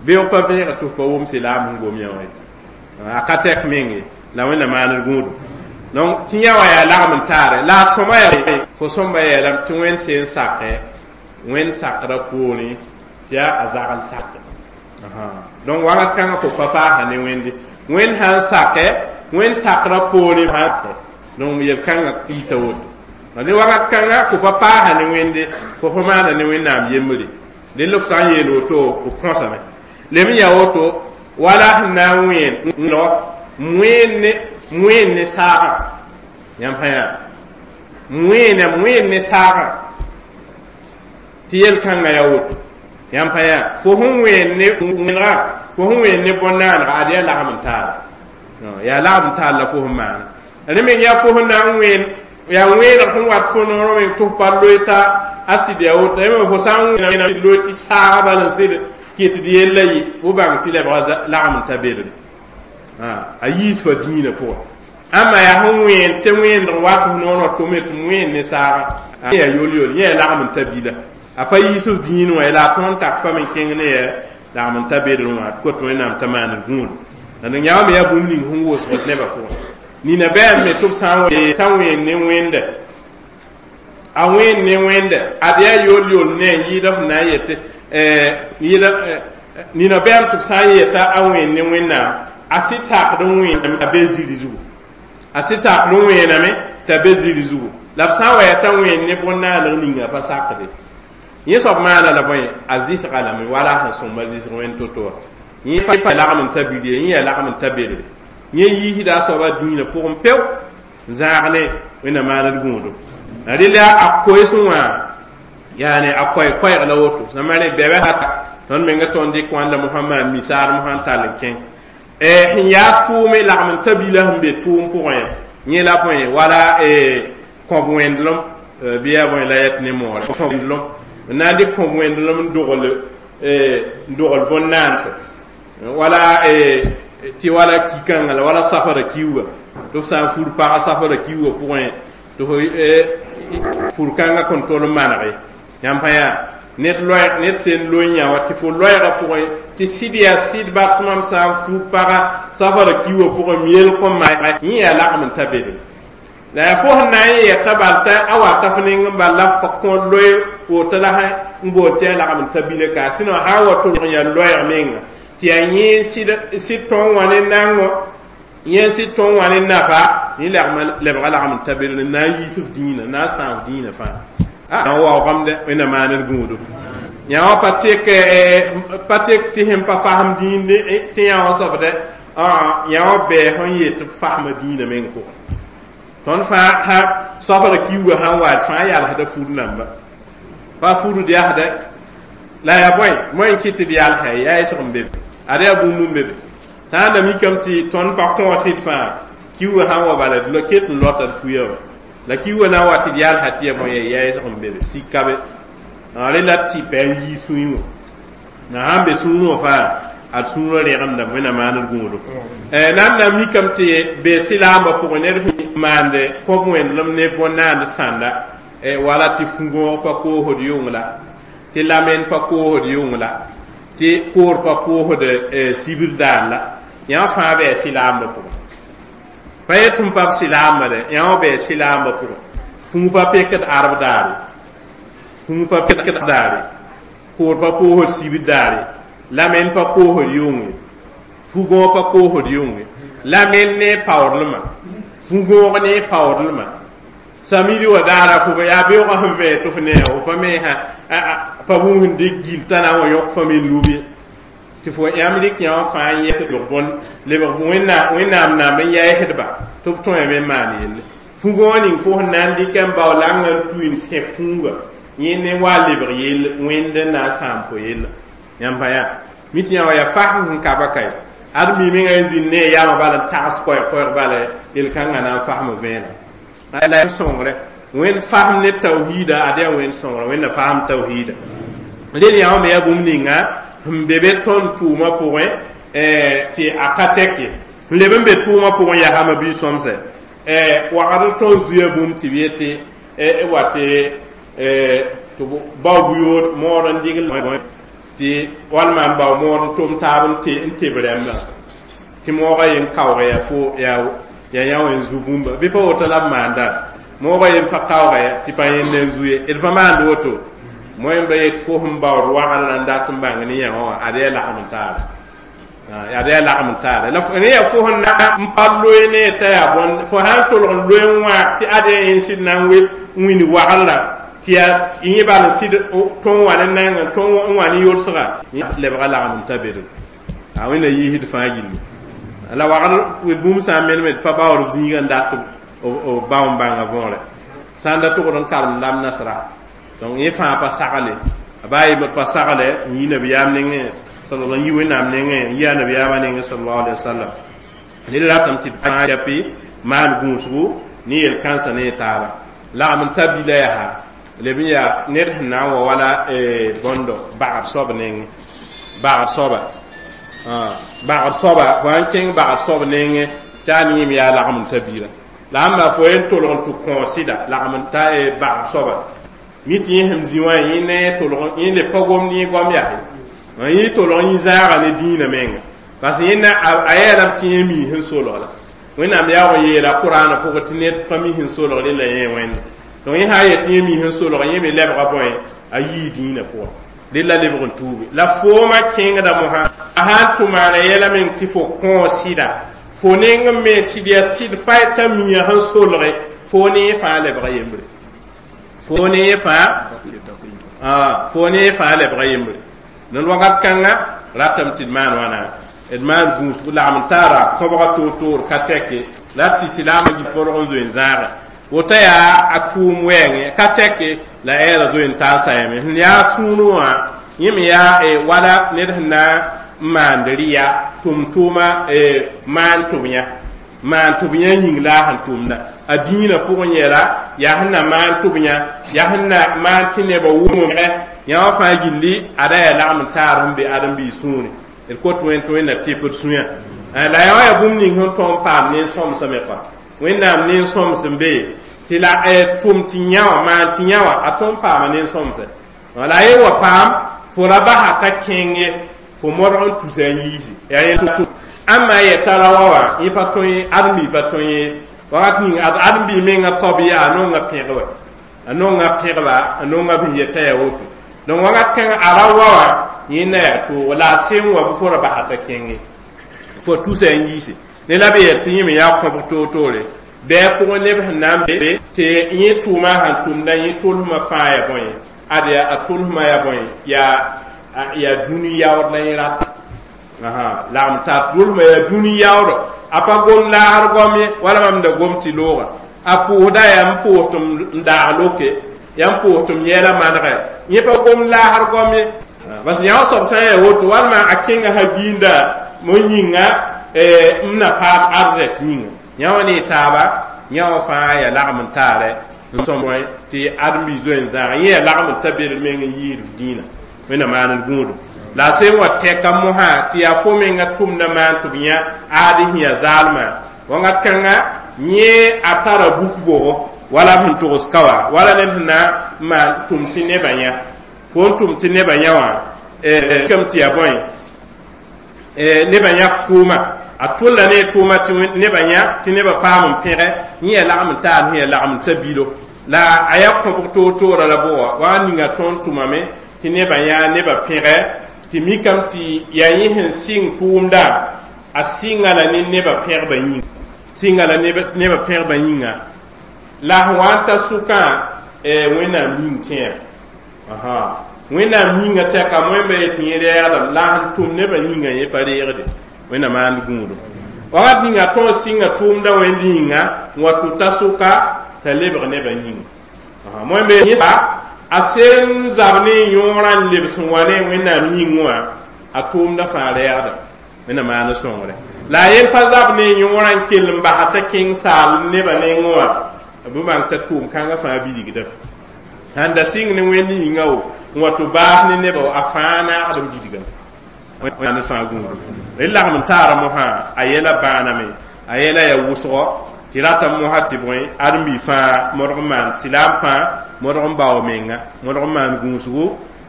beoog pa vẽega tɩ f pa wʋm silaam sẽn gom yã wã ye a ka tɛk meng ye la Wẽnna maand gũudum donc tɩ yã wã yaa lagem n taare la a sõma yaa fo sõmba yeelame tɩ Wẽnd sẽn sake Wẽnd sakra poorẽ tɩ yaa a zagl sake donc wakat kãngã fo pa paasa ne Wẽnde Wẽnd sã n sake Wẽnd sakra poorẽ donc yel-kãngã ɩta woto ne wakat kãngã fo pa paasa ne Wẽnde fo pa maana ne Wẽnnaam yembre dẽ la f sã n yeel woto f kõsame lem n yaa woto wala sẽn na n wẽen wẽen ne wẽen ne saagã yãmb sã yaa wẽena wẽen ne saagã tɩ yel-kãngã yaa woto yãmb sã yaa fo sẽn wẽen ne wẽnega fo sẽn wẽen ne bõn-naanega ad yaa lagm n taara yaa lagm n taar la fo sẽn maana rẽ meng yaa fo sẽn na n wẽen yaa wẽeneg sẽn wat fo noorẽ meng tɩ f pa loe t'a a sɩd yaa woto me fo sã n wẽna loe tɩ saagã bal n sɩd kɩt d yella yɩ fo bãng tɩ lebga lagm n ta bedre a yiis fa dĩinã pʋgẽ ãmba yaa sẽn wẽen tɩ wẽend n wat f noor tɩ fo me tɩ wẽen ne saagã yaa yol-yol yẽ yaa lagm n ta bila a pa yiis f dĩin wã la a tõnd tak fa me kẽng ne yaa lagm n ta bedr wã d kot Wẽnnaam t'a maand gũud la d yã me yaa bũmb ning sẽn wʋsgd nebã pʋgẽ nina bɩ me tɩ b sã n t'a wẽen ne wẽnda A wẽnd ne wẽnde ad yaa yool yool ne n yɩɩda f na n yetɩ yɩɩda nina bɛam tɩ b sã n yeta a wẽnd ne Wẽnnaam, a sɩd sakd n wẽename t'a be ziri zugu, a sɩd sakd n wẽename t'a be ziri zugu. La b sã n wa yaa t'a wẽnd ne bõn-naaneg ninga pa sakde yẽ soab maana la bõe a zɩsga lame wala a sẽn sõmba zɩsg wẽnd to-to wã. Yẽ pa lagem n ta bil ye, yẽ yaa lagem n ta bedre, yẽ yiisda a soaba dĩinã pʋgẽ peo n zãag ne Wẽnnaam maaned gũudum. Rɩla a koeesẽ wã yaane a koɛɛ koɛɛg la woto sãma rẽ bɛbɛ hata tõnd menga tõnd dɩk wãnda mosã maan misaar mosã n tall n kẽng sẽn yaa tʋʋme lagem n ta bila sẽn be tʋʋm pʋgẽ yã yẽ la bõe wala kõb wẽndelem bɩ yaa bõe la yɛt ne moore kõb wẽndelem n na n dɩk kõb wẽndelem n dogl n dogl bõn-naanse wala tɩ wala ki-kãngã la wala safara kiuga tɩ f sã n fur paga safara kiuga pʋgẽ tɩ f fur-kãngã kõn tol n manege yãmb pa yaa ned loɛɛg ned sẽn loe yã wa tɩ fo loɛɛgã pʋgẽ tɩ sɩd yaa sɩd bat mam sã n fur paga safara kiuga pʋgẽ m yel kõn maa yẽ yaa lagem n ta bedem la yaa fo sẽn na n yɛta bal t'a a wata f neng n bal la f kõ loe woto la n bool tɩ yaa lagem n ta bila ka sɩnõ sã n wa tʋlg n yaa loɛɛg menga tɩ yaa yẽ sɩd tõog wã ne nango yẽ sɩd tõog wã ne nafa yẽ lebga lagem n ta bedem n na n yiis f dĩinã na n sãam f dĩinã fãa a waoogame dɛ Wẽnnaam maaned gũudu yã wã pa tek pa tek tɩ sẽn pa fasem dĩin tɩ yã wã soab dɛ yã wã bɛɛ sẽn yet tɩ b fasma dĩinã meng pʋgẽ. Tõnd fãa ha safra kiuga sãn wa d fãa yalsda fur namba pa furd yasdɛ la yaa bõe moẽ n kɩt tɩ d yalsa yaa yesg n be be ad yaa bũmb n be be sã n da mikame tɩ tõnd pa kõos d fãa kiuga sãn wa bala d ket n lota d fuya wã la kiuga na n wa tɩ d yalsa tɩ yaa bõe yaa yesg n be be sika be rẽ la tɩ pa n yii sũyẽ wã na sãn be sũurẽ wã fãa ad sũurã regemdame Wẽnnaam maaned gũudu nan na mikame tɩ be sɩlaambã pʋgẽ ned sẽn maande kõb wẽndelem ne bõn-naand sãnda wala tɩ fu-gõog pa koosd yʋng la tɩ lamen pa koosd yʋng la tɩ koor pa koosd sibr daar la yã fãa bɩ sɩlaambã pʋgẽ pa yet n pa b sɩlaambã dɛ yã wã bɩ sɩlaambã pʋgẽ fũu pa pekd arb daare fũu pa pekd daare koor pa koosd sibr daare lamen pa koosd yʋnge fu-gõog pa koosd yʋnge lamen ne paoodlmã fu-gõog ne paoodlmã samidi wa daara fo yaa beoogã sẽn vẽ tɩ f ne fo pa me pa bũmb sẽn dɩk gil t'a na n wa yõk fa me lub ye tɩ fo yãmb rɩk yã wã fãa n yɛs lebg bõn lebg Wẽnnaam namb n yɛɛsdba tɩ b tõeme n maan yelle fu-gõog ning fo sẽn na n dɩk n bao langã n tui n sẽ fũuga yẽ ne wa lebg yell wẽnd n na n sãam fo yella yãmb pa yaa mi tɩ yã wa yaa fasem sẽn ka ba kae ad mi menga n zĩnd ne a yaamã bala n tags koɛɛg bala yel-kãngã na n fasm vẽeneg la sõngre Wẽnd fasem ne tawhiida ad yaa Wẽnd sõngrã Wẽnna fasem tawhiida rel yã wã me yaa bũmb ninga sẽn be be tõnd tʋʋmã pʋgẽ tɩ a ka tɛk ye sẽn leb n be tʋʋmã pʋgẽ yaa hama bi-sõmsɛ wagd tõnd zuya bũmb tɩ b yetɩ wa tɩ tɩ bao buyood mood n dɩgl tɩ walma n bao mood n tʋm taab n teb rẽmbã tɩ moogã yen kaoog yaa fo yaa yaa yã wã n zu bũmba bɩ pa woto la b maanda moogã yen pa kaooga ya tɩ pa yẽnd n zu ye d pa maand woto moẽ ba yet fo sẽn baood wagr la n dat n bãng ne yã wã ad yaa lagem n taaba ad yaa lagem n taara la ne yaa fo sẽn na n pa loe ne t'a yaa bõn fo sã n tolg n loe n wãag tɩ ad yaa yẽn sɩd na n we n wĩnd wagr la tɩ yaa yẽ bal n sɩd tõog wã ne nengẽ tõog n wã ne yolsga lebga lagem n ta bedg a Wẽnna yiisd fãa gilli la wagr bũmb sã n menem d pa baood b zĩigã n dat b bao n bãnga võore sã n da tʋgd n karemdame nasra donc yẽ fãa pa sagle a baa yembd pa sagle n yi nabiyaam nengẽ n yi Wẽnnaam nengẽ n yi a nabiyaamã nengẽ sallallahu alaihi wasallam ned ratame tɩ d fãa yapi maan gũusgu ne yel-kãnsã ne taaba lagem n ta bila yaa leb n yaa ned sẽn na n wa wala bõndo bagd soab nengẽ bagd soaba bagd soaba fo sãn kẽng bagd soab nengẽ tɩ a neem yaa lagem n ta biirã la ãmba fo yen tolg n tɩ kõ sɩda lagem n ta bagd soaba mi tɩ yẽ sẽn zĩ wã yẽ ne tolg yẽ le pa gomd yẽ goam yaa yẽ tolg yẽ zãaga ne dĩinã menga parce que yẽ a yeelame tɩ yẽ mi sẽn solg la Wẽnnaam yaoog n yeela Kʋraanã pʋgẽ tɩ ned pa mi sẽn solg rẽ la yẽ wẽnde Donc yẽ sã n yet tɩ yẽ mi sẽn solg yẽ me lebga bõe a yii dĩinã pʋgẽ rel la lebg n tuuge la foomã kẽngda mosã a sã n tʋ maana yɛla meng tɩ fo kõo sɩda fo neng n me sɩd yaa sɩd fa t'a mia sẽn solge fo ne yẽ fãa lebga yembre fo ne yẽ fãa fo ne yẽ fãa lebga yembre ned wakat kãnga ratame tɩ d maan wãna d maan gũusg lagm n taara kõbga toor-toor ka tɛke la tɩ silaamã git borg n zoe n zãage woto yaa a tʋʋm wɛɛngẽ ka tɛke la ɛɛra zoe n taa n sayame sẽn yaa sũurẽ wã yẽ me yaa wala ned sẽn na n maand rɩya tʋm-tʋʋma maan tʋb yã maan tʋb yã yĩng la a sẽn tʋmda a dĩinã pʋgẽ yɛla yaa sẽn na maan tʋb yã yaa sẽn na maan tɩ nebã wʋmge yã wã fãa gilli ada yaa lagm n taar sẽn be ãdem-biis sũure d kot wẽn tɩ wẽnna tɩp d sũyã la yaa wã yaa bũmb ning sẽn tõog n paam nen-sõmsame kɔa wẽnnaam nen-sõms n be tɩ la tʋm tɩ yã wã maan tɩ yã wã a tõog n paama nen-sõmse la a ye wa paam fo ra basa t'a kẽng ye fo modg n tusa n yiisi yaa yẽ ãmba yɛta ra wa wã yẽ pa tõe ãdem-bi pa tõe ye wakat ning ãdem-bi menga taob yaa a nonga pẽg wa a nonga pẽgba a nonga b yɛta yaa woto donc wakat kãngã a ra wa wã yẽ na yaa toogo la a sẽn wa bɩ fo ra basa t'a kẽng ye fo tusa n yiisi ne la b yɛl tɩ yẽ me yaa kõbg toor-toore bɩ a pʋgẽ neb sẽn na n be tɩ yẽ tʋʋmã sẽn tʋmda yẽ tolsmã fãa ya bõe ad yaa a tolsmã ya bõe yaa yaa dũni yaood la yẽ rata lagm tar tolsmã yaa dũni yaoodɔ a pa gom laasr goam ye wala mam da gom tɩ looga a pʋʋsda yaa n pʋʋs tɩ m daag loke yaa n pʋʋs tɩ m yɛɛla manegɛ yẽ pa gom laasr goam ye parce que yã wã soab sã n yaa woto walma a kẽnga sã giinda mo yĩnga m na paam arzɛk yĩnga yã wã ne taaba yã wã fãa yaa lagm n taarɛ n sõm bõe tɩ ãdem-bi zoe n zãag yẽ yaa lagm n ta bed meng n yiid dĩinã wẽnna maan d gũudum la a sẽn wa tɛka mosã tɩ yaa fo menga tʋmda maan tɩ b yã aad sẽn yaa zaalmã wãngat kãnga yẽ a tara buk bogo wala b sẽn togs ka wã wala ned sẽn na n maan tʋm tɩ nebã yã fo n tʋm tɩ nebã yã wã kam tɩ yaa bõe nebã yã f tʋʋma a tʋlla ne tʋʋma tɩ nebã yã tɩ nebã paam n pẽgɛ yẽ yaa lagm n taar sẽn yaa lagm n ta bilo la a yaa kõbg toor-toora la bʋga wa ninga tõnd tʋmame tɩ nebã yã nebã pẽgɛ tɩ mikame tɩ yaa yẽ sẽn sɩng tʋʋmda a sɩnga la ne nebã pẽgbã yĩnga sɩnga la nebã pẽgbã yĩnga la sẽn wa n ta sʋkã wẽnnaam yĩng kẽer wẽnnaam yĩnga tɛka moẽmba yetɩ yẽ reegdame la sẽn tʋm nebã yĩnga yẽ pa reegde wẽnna maand gũudum wakat ninga tõog sɩnga tʋʋmda wẽnd yĩnga n wa tʋ ta sʋka t'a lebg nebã yĩnga moẽmba yẽ a sẽn zab ne yõorã n lebs n wa ne wẽnnaam yĩng wã a tʋʋmda fãa reegda wẽnna maan sõngre la a yen pa zab ne yõorã n kell n basa t'a kẽng saal nebã nengẽ wã bɩ bãng t'a tʋʋm kãngã fãa bilgdame sãn da sɩng ne wẽnd yĩnga wo n wa tɩ baas ne nebã a fãa naagd n bilgame wẽnd fãa gũudum rel lagm n taara mosã a yɛla bãaname a yɛla yaa wʋsgɔ tɩ rata mosã tɩ bõe ãdem-bi fãa modg n maan silaam fãa modg n bao menga modg n maan gũusgu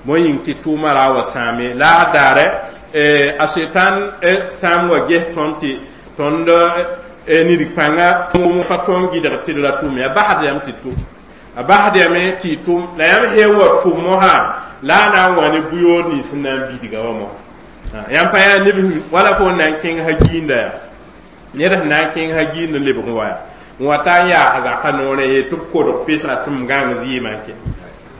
bõe yĩng tɩ tʋʋmã ra wa sãame la a daare a setan sã n wa ges tõnd tɩ tõnd nidg-pãnga tʋʋm pa tõnd gɩdg tɩ d ra tʋm ya basd yam tɩ tʋm a basd yame tɩ y tʋm la yãmb sẽn wa tʋm mosã la a na n wa ne bʋ-yoor nins sẽn na n bidga wã mosã yãmb pa yaa neb wala fo n na n kẽng ha giinda yaa ned sẽn na n kẽng ha giind n lebg n wa yaa n wa ta n yaas zaka noorẽ ye tɩ b kodg pesga tɩ m gãng zɩɩmã n kẽ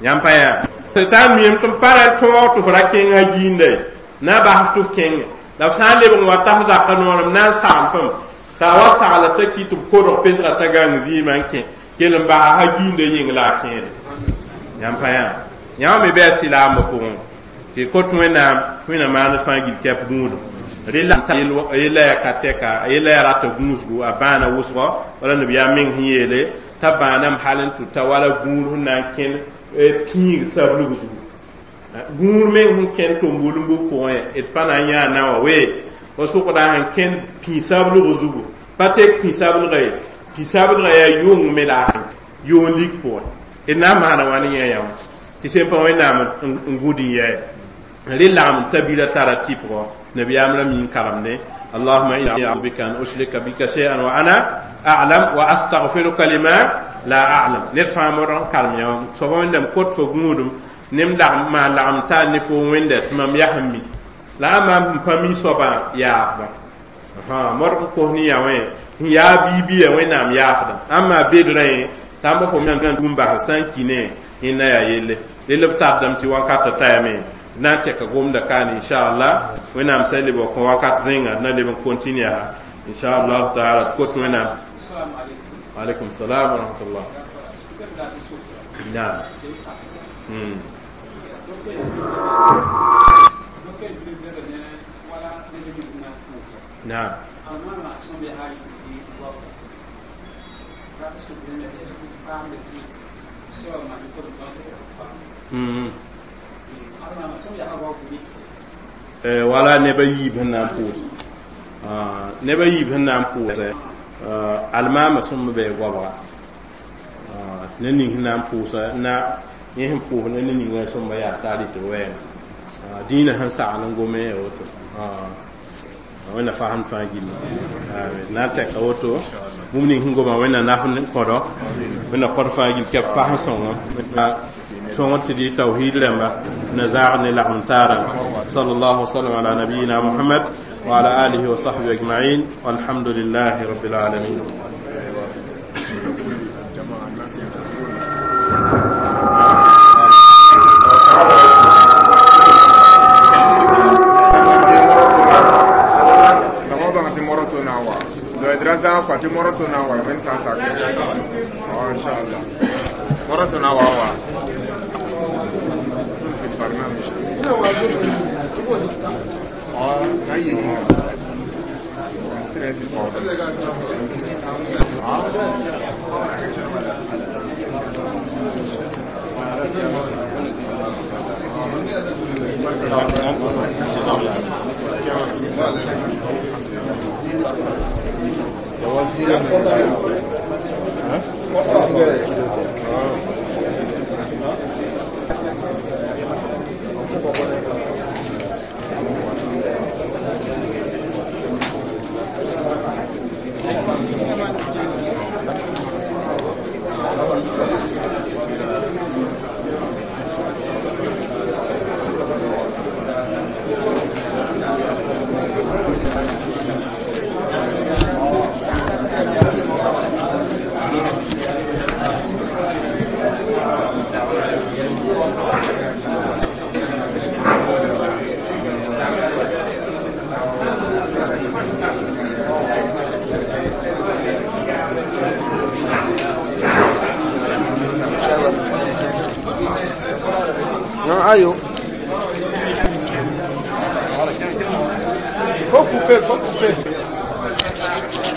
yãmb pa yaa t'a miem tɩ m pa ra tõog tɩ f ra kẽng ha giinda ye na bas tɩ f kẽnge la f sã n lebg n wa ta f zaka noorẽ m na n sagl fam t'a wa sagla t'a kɩ tɩ b kodg pesga t'a gãng zɩɩmã n kẽ kell n basa ha giinda yĩng la a kẽede yãmb pa yaa yãmb me bɩ a silaambã pʋgẽ tɩ kot wẽnnaam wẽnna maan fãa gil kɛp gũudum rela yella yaa ka tɛka yella yaa rata gũusgu a bãana wʋsgɔ wala nabiyaam meng sẽn yeele t'a bãaname hal n tʋ ta wala gũud sẽn na n kẽn pĩig sablg zugu gũud meng sẽn kẽn tʋm-wʋlmb pʋgẽ d pa na n yãa na wã wee fo sʋkda sẽn kẽn pĩ-sablg zugu pa tek pĩ-sablga ye pĩ-sablga yaa yʋng me la yoon lik pʋgẽ d na n maana wãn yã yã wã tɩ sẽn pa wẽnnaam n gũd n yɛɛ rel lagm t'a bila tara tɩpgɔ nabiyaam ra mi n karemdẽ اللهم إني أعوذ بك أن أشرك بك شيئا وأنا أعلم وأستغفرك لما La a'lam ned fãa modg n kalem yã soaba wẽndame kot fo gũudum nem lagm maan lagem tar ne fo wẽnda tɩ mam yaa sẽn mi la a maam sẽn pa mi soabã yaafda modg n kos ne yã wẽ sẽn yaa biibia wẽnnaam yaafda ãmb maa bed rẽ tãmba fo me tũum bas sã n ki ne yẽnda yaa yelle rel b tardame tɩ wakatã tayame na n tɛka gomda kaane inchallah wẽnnaam sã n leb wa kõ wakat zẽnga d na leb n continue yaa inchallah taala d kot wẽnnaam alaikum salam wa rahmatullah naam hmm naam mm wala neb a yiib sẽn na n pʋʋs neb a yiib sẽn na n pʋʋsɛ almaamã sõmb bɩ goabga ne ning sẽn na n pʋʋsa na yẽ sẽn pʋʋs ne ningã sõmba yaa saar tɩ wɛɛngã dĩinã sẽn sagl n gome ya woto wẽnna fasem fãa gilli na n tɛka woto bũmb ning sẽn goma wẽnna naf n kõdo wẽnna kõd fãa gill kɛb fasem sõngo sõngr tɩ dɩ tawhid rãmba na zaag ne lagm taara sallallahu wasallam ala nabiyina muhammad wa ala alihi wa sahbihi ajma'in walhamdulillahi rabbil alamin. Tɩ moro to na wa wẽnd sã n sak inchallah moro to na wa wa في البرنامج اه هي stress Ayo. Faut couper, faut couper.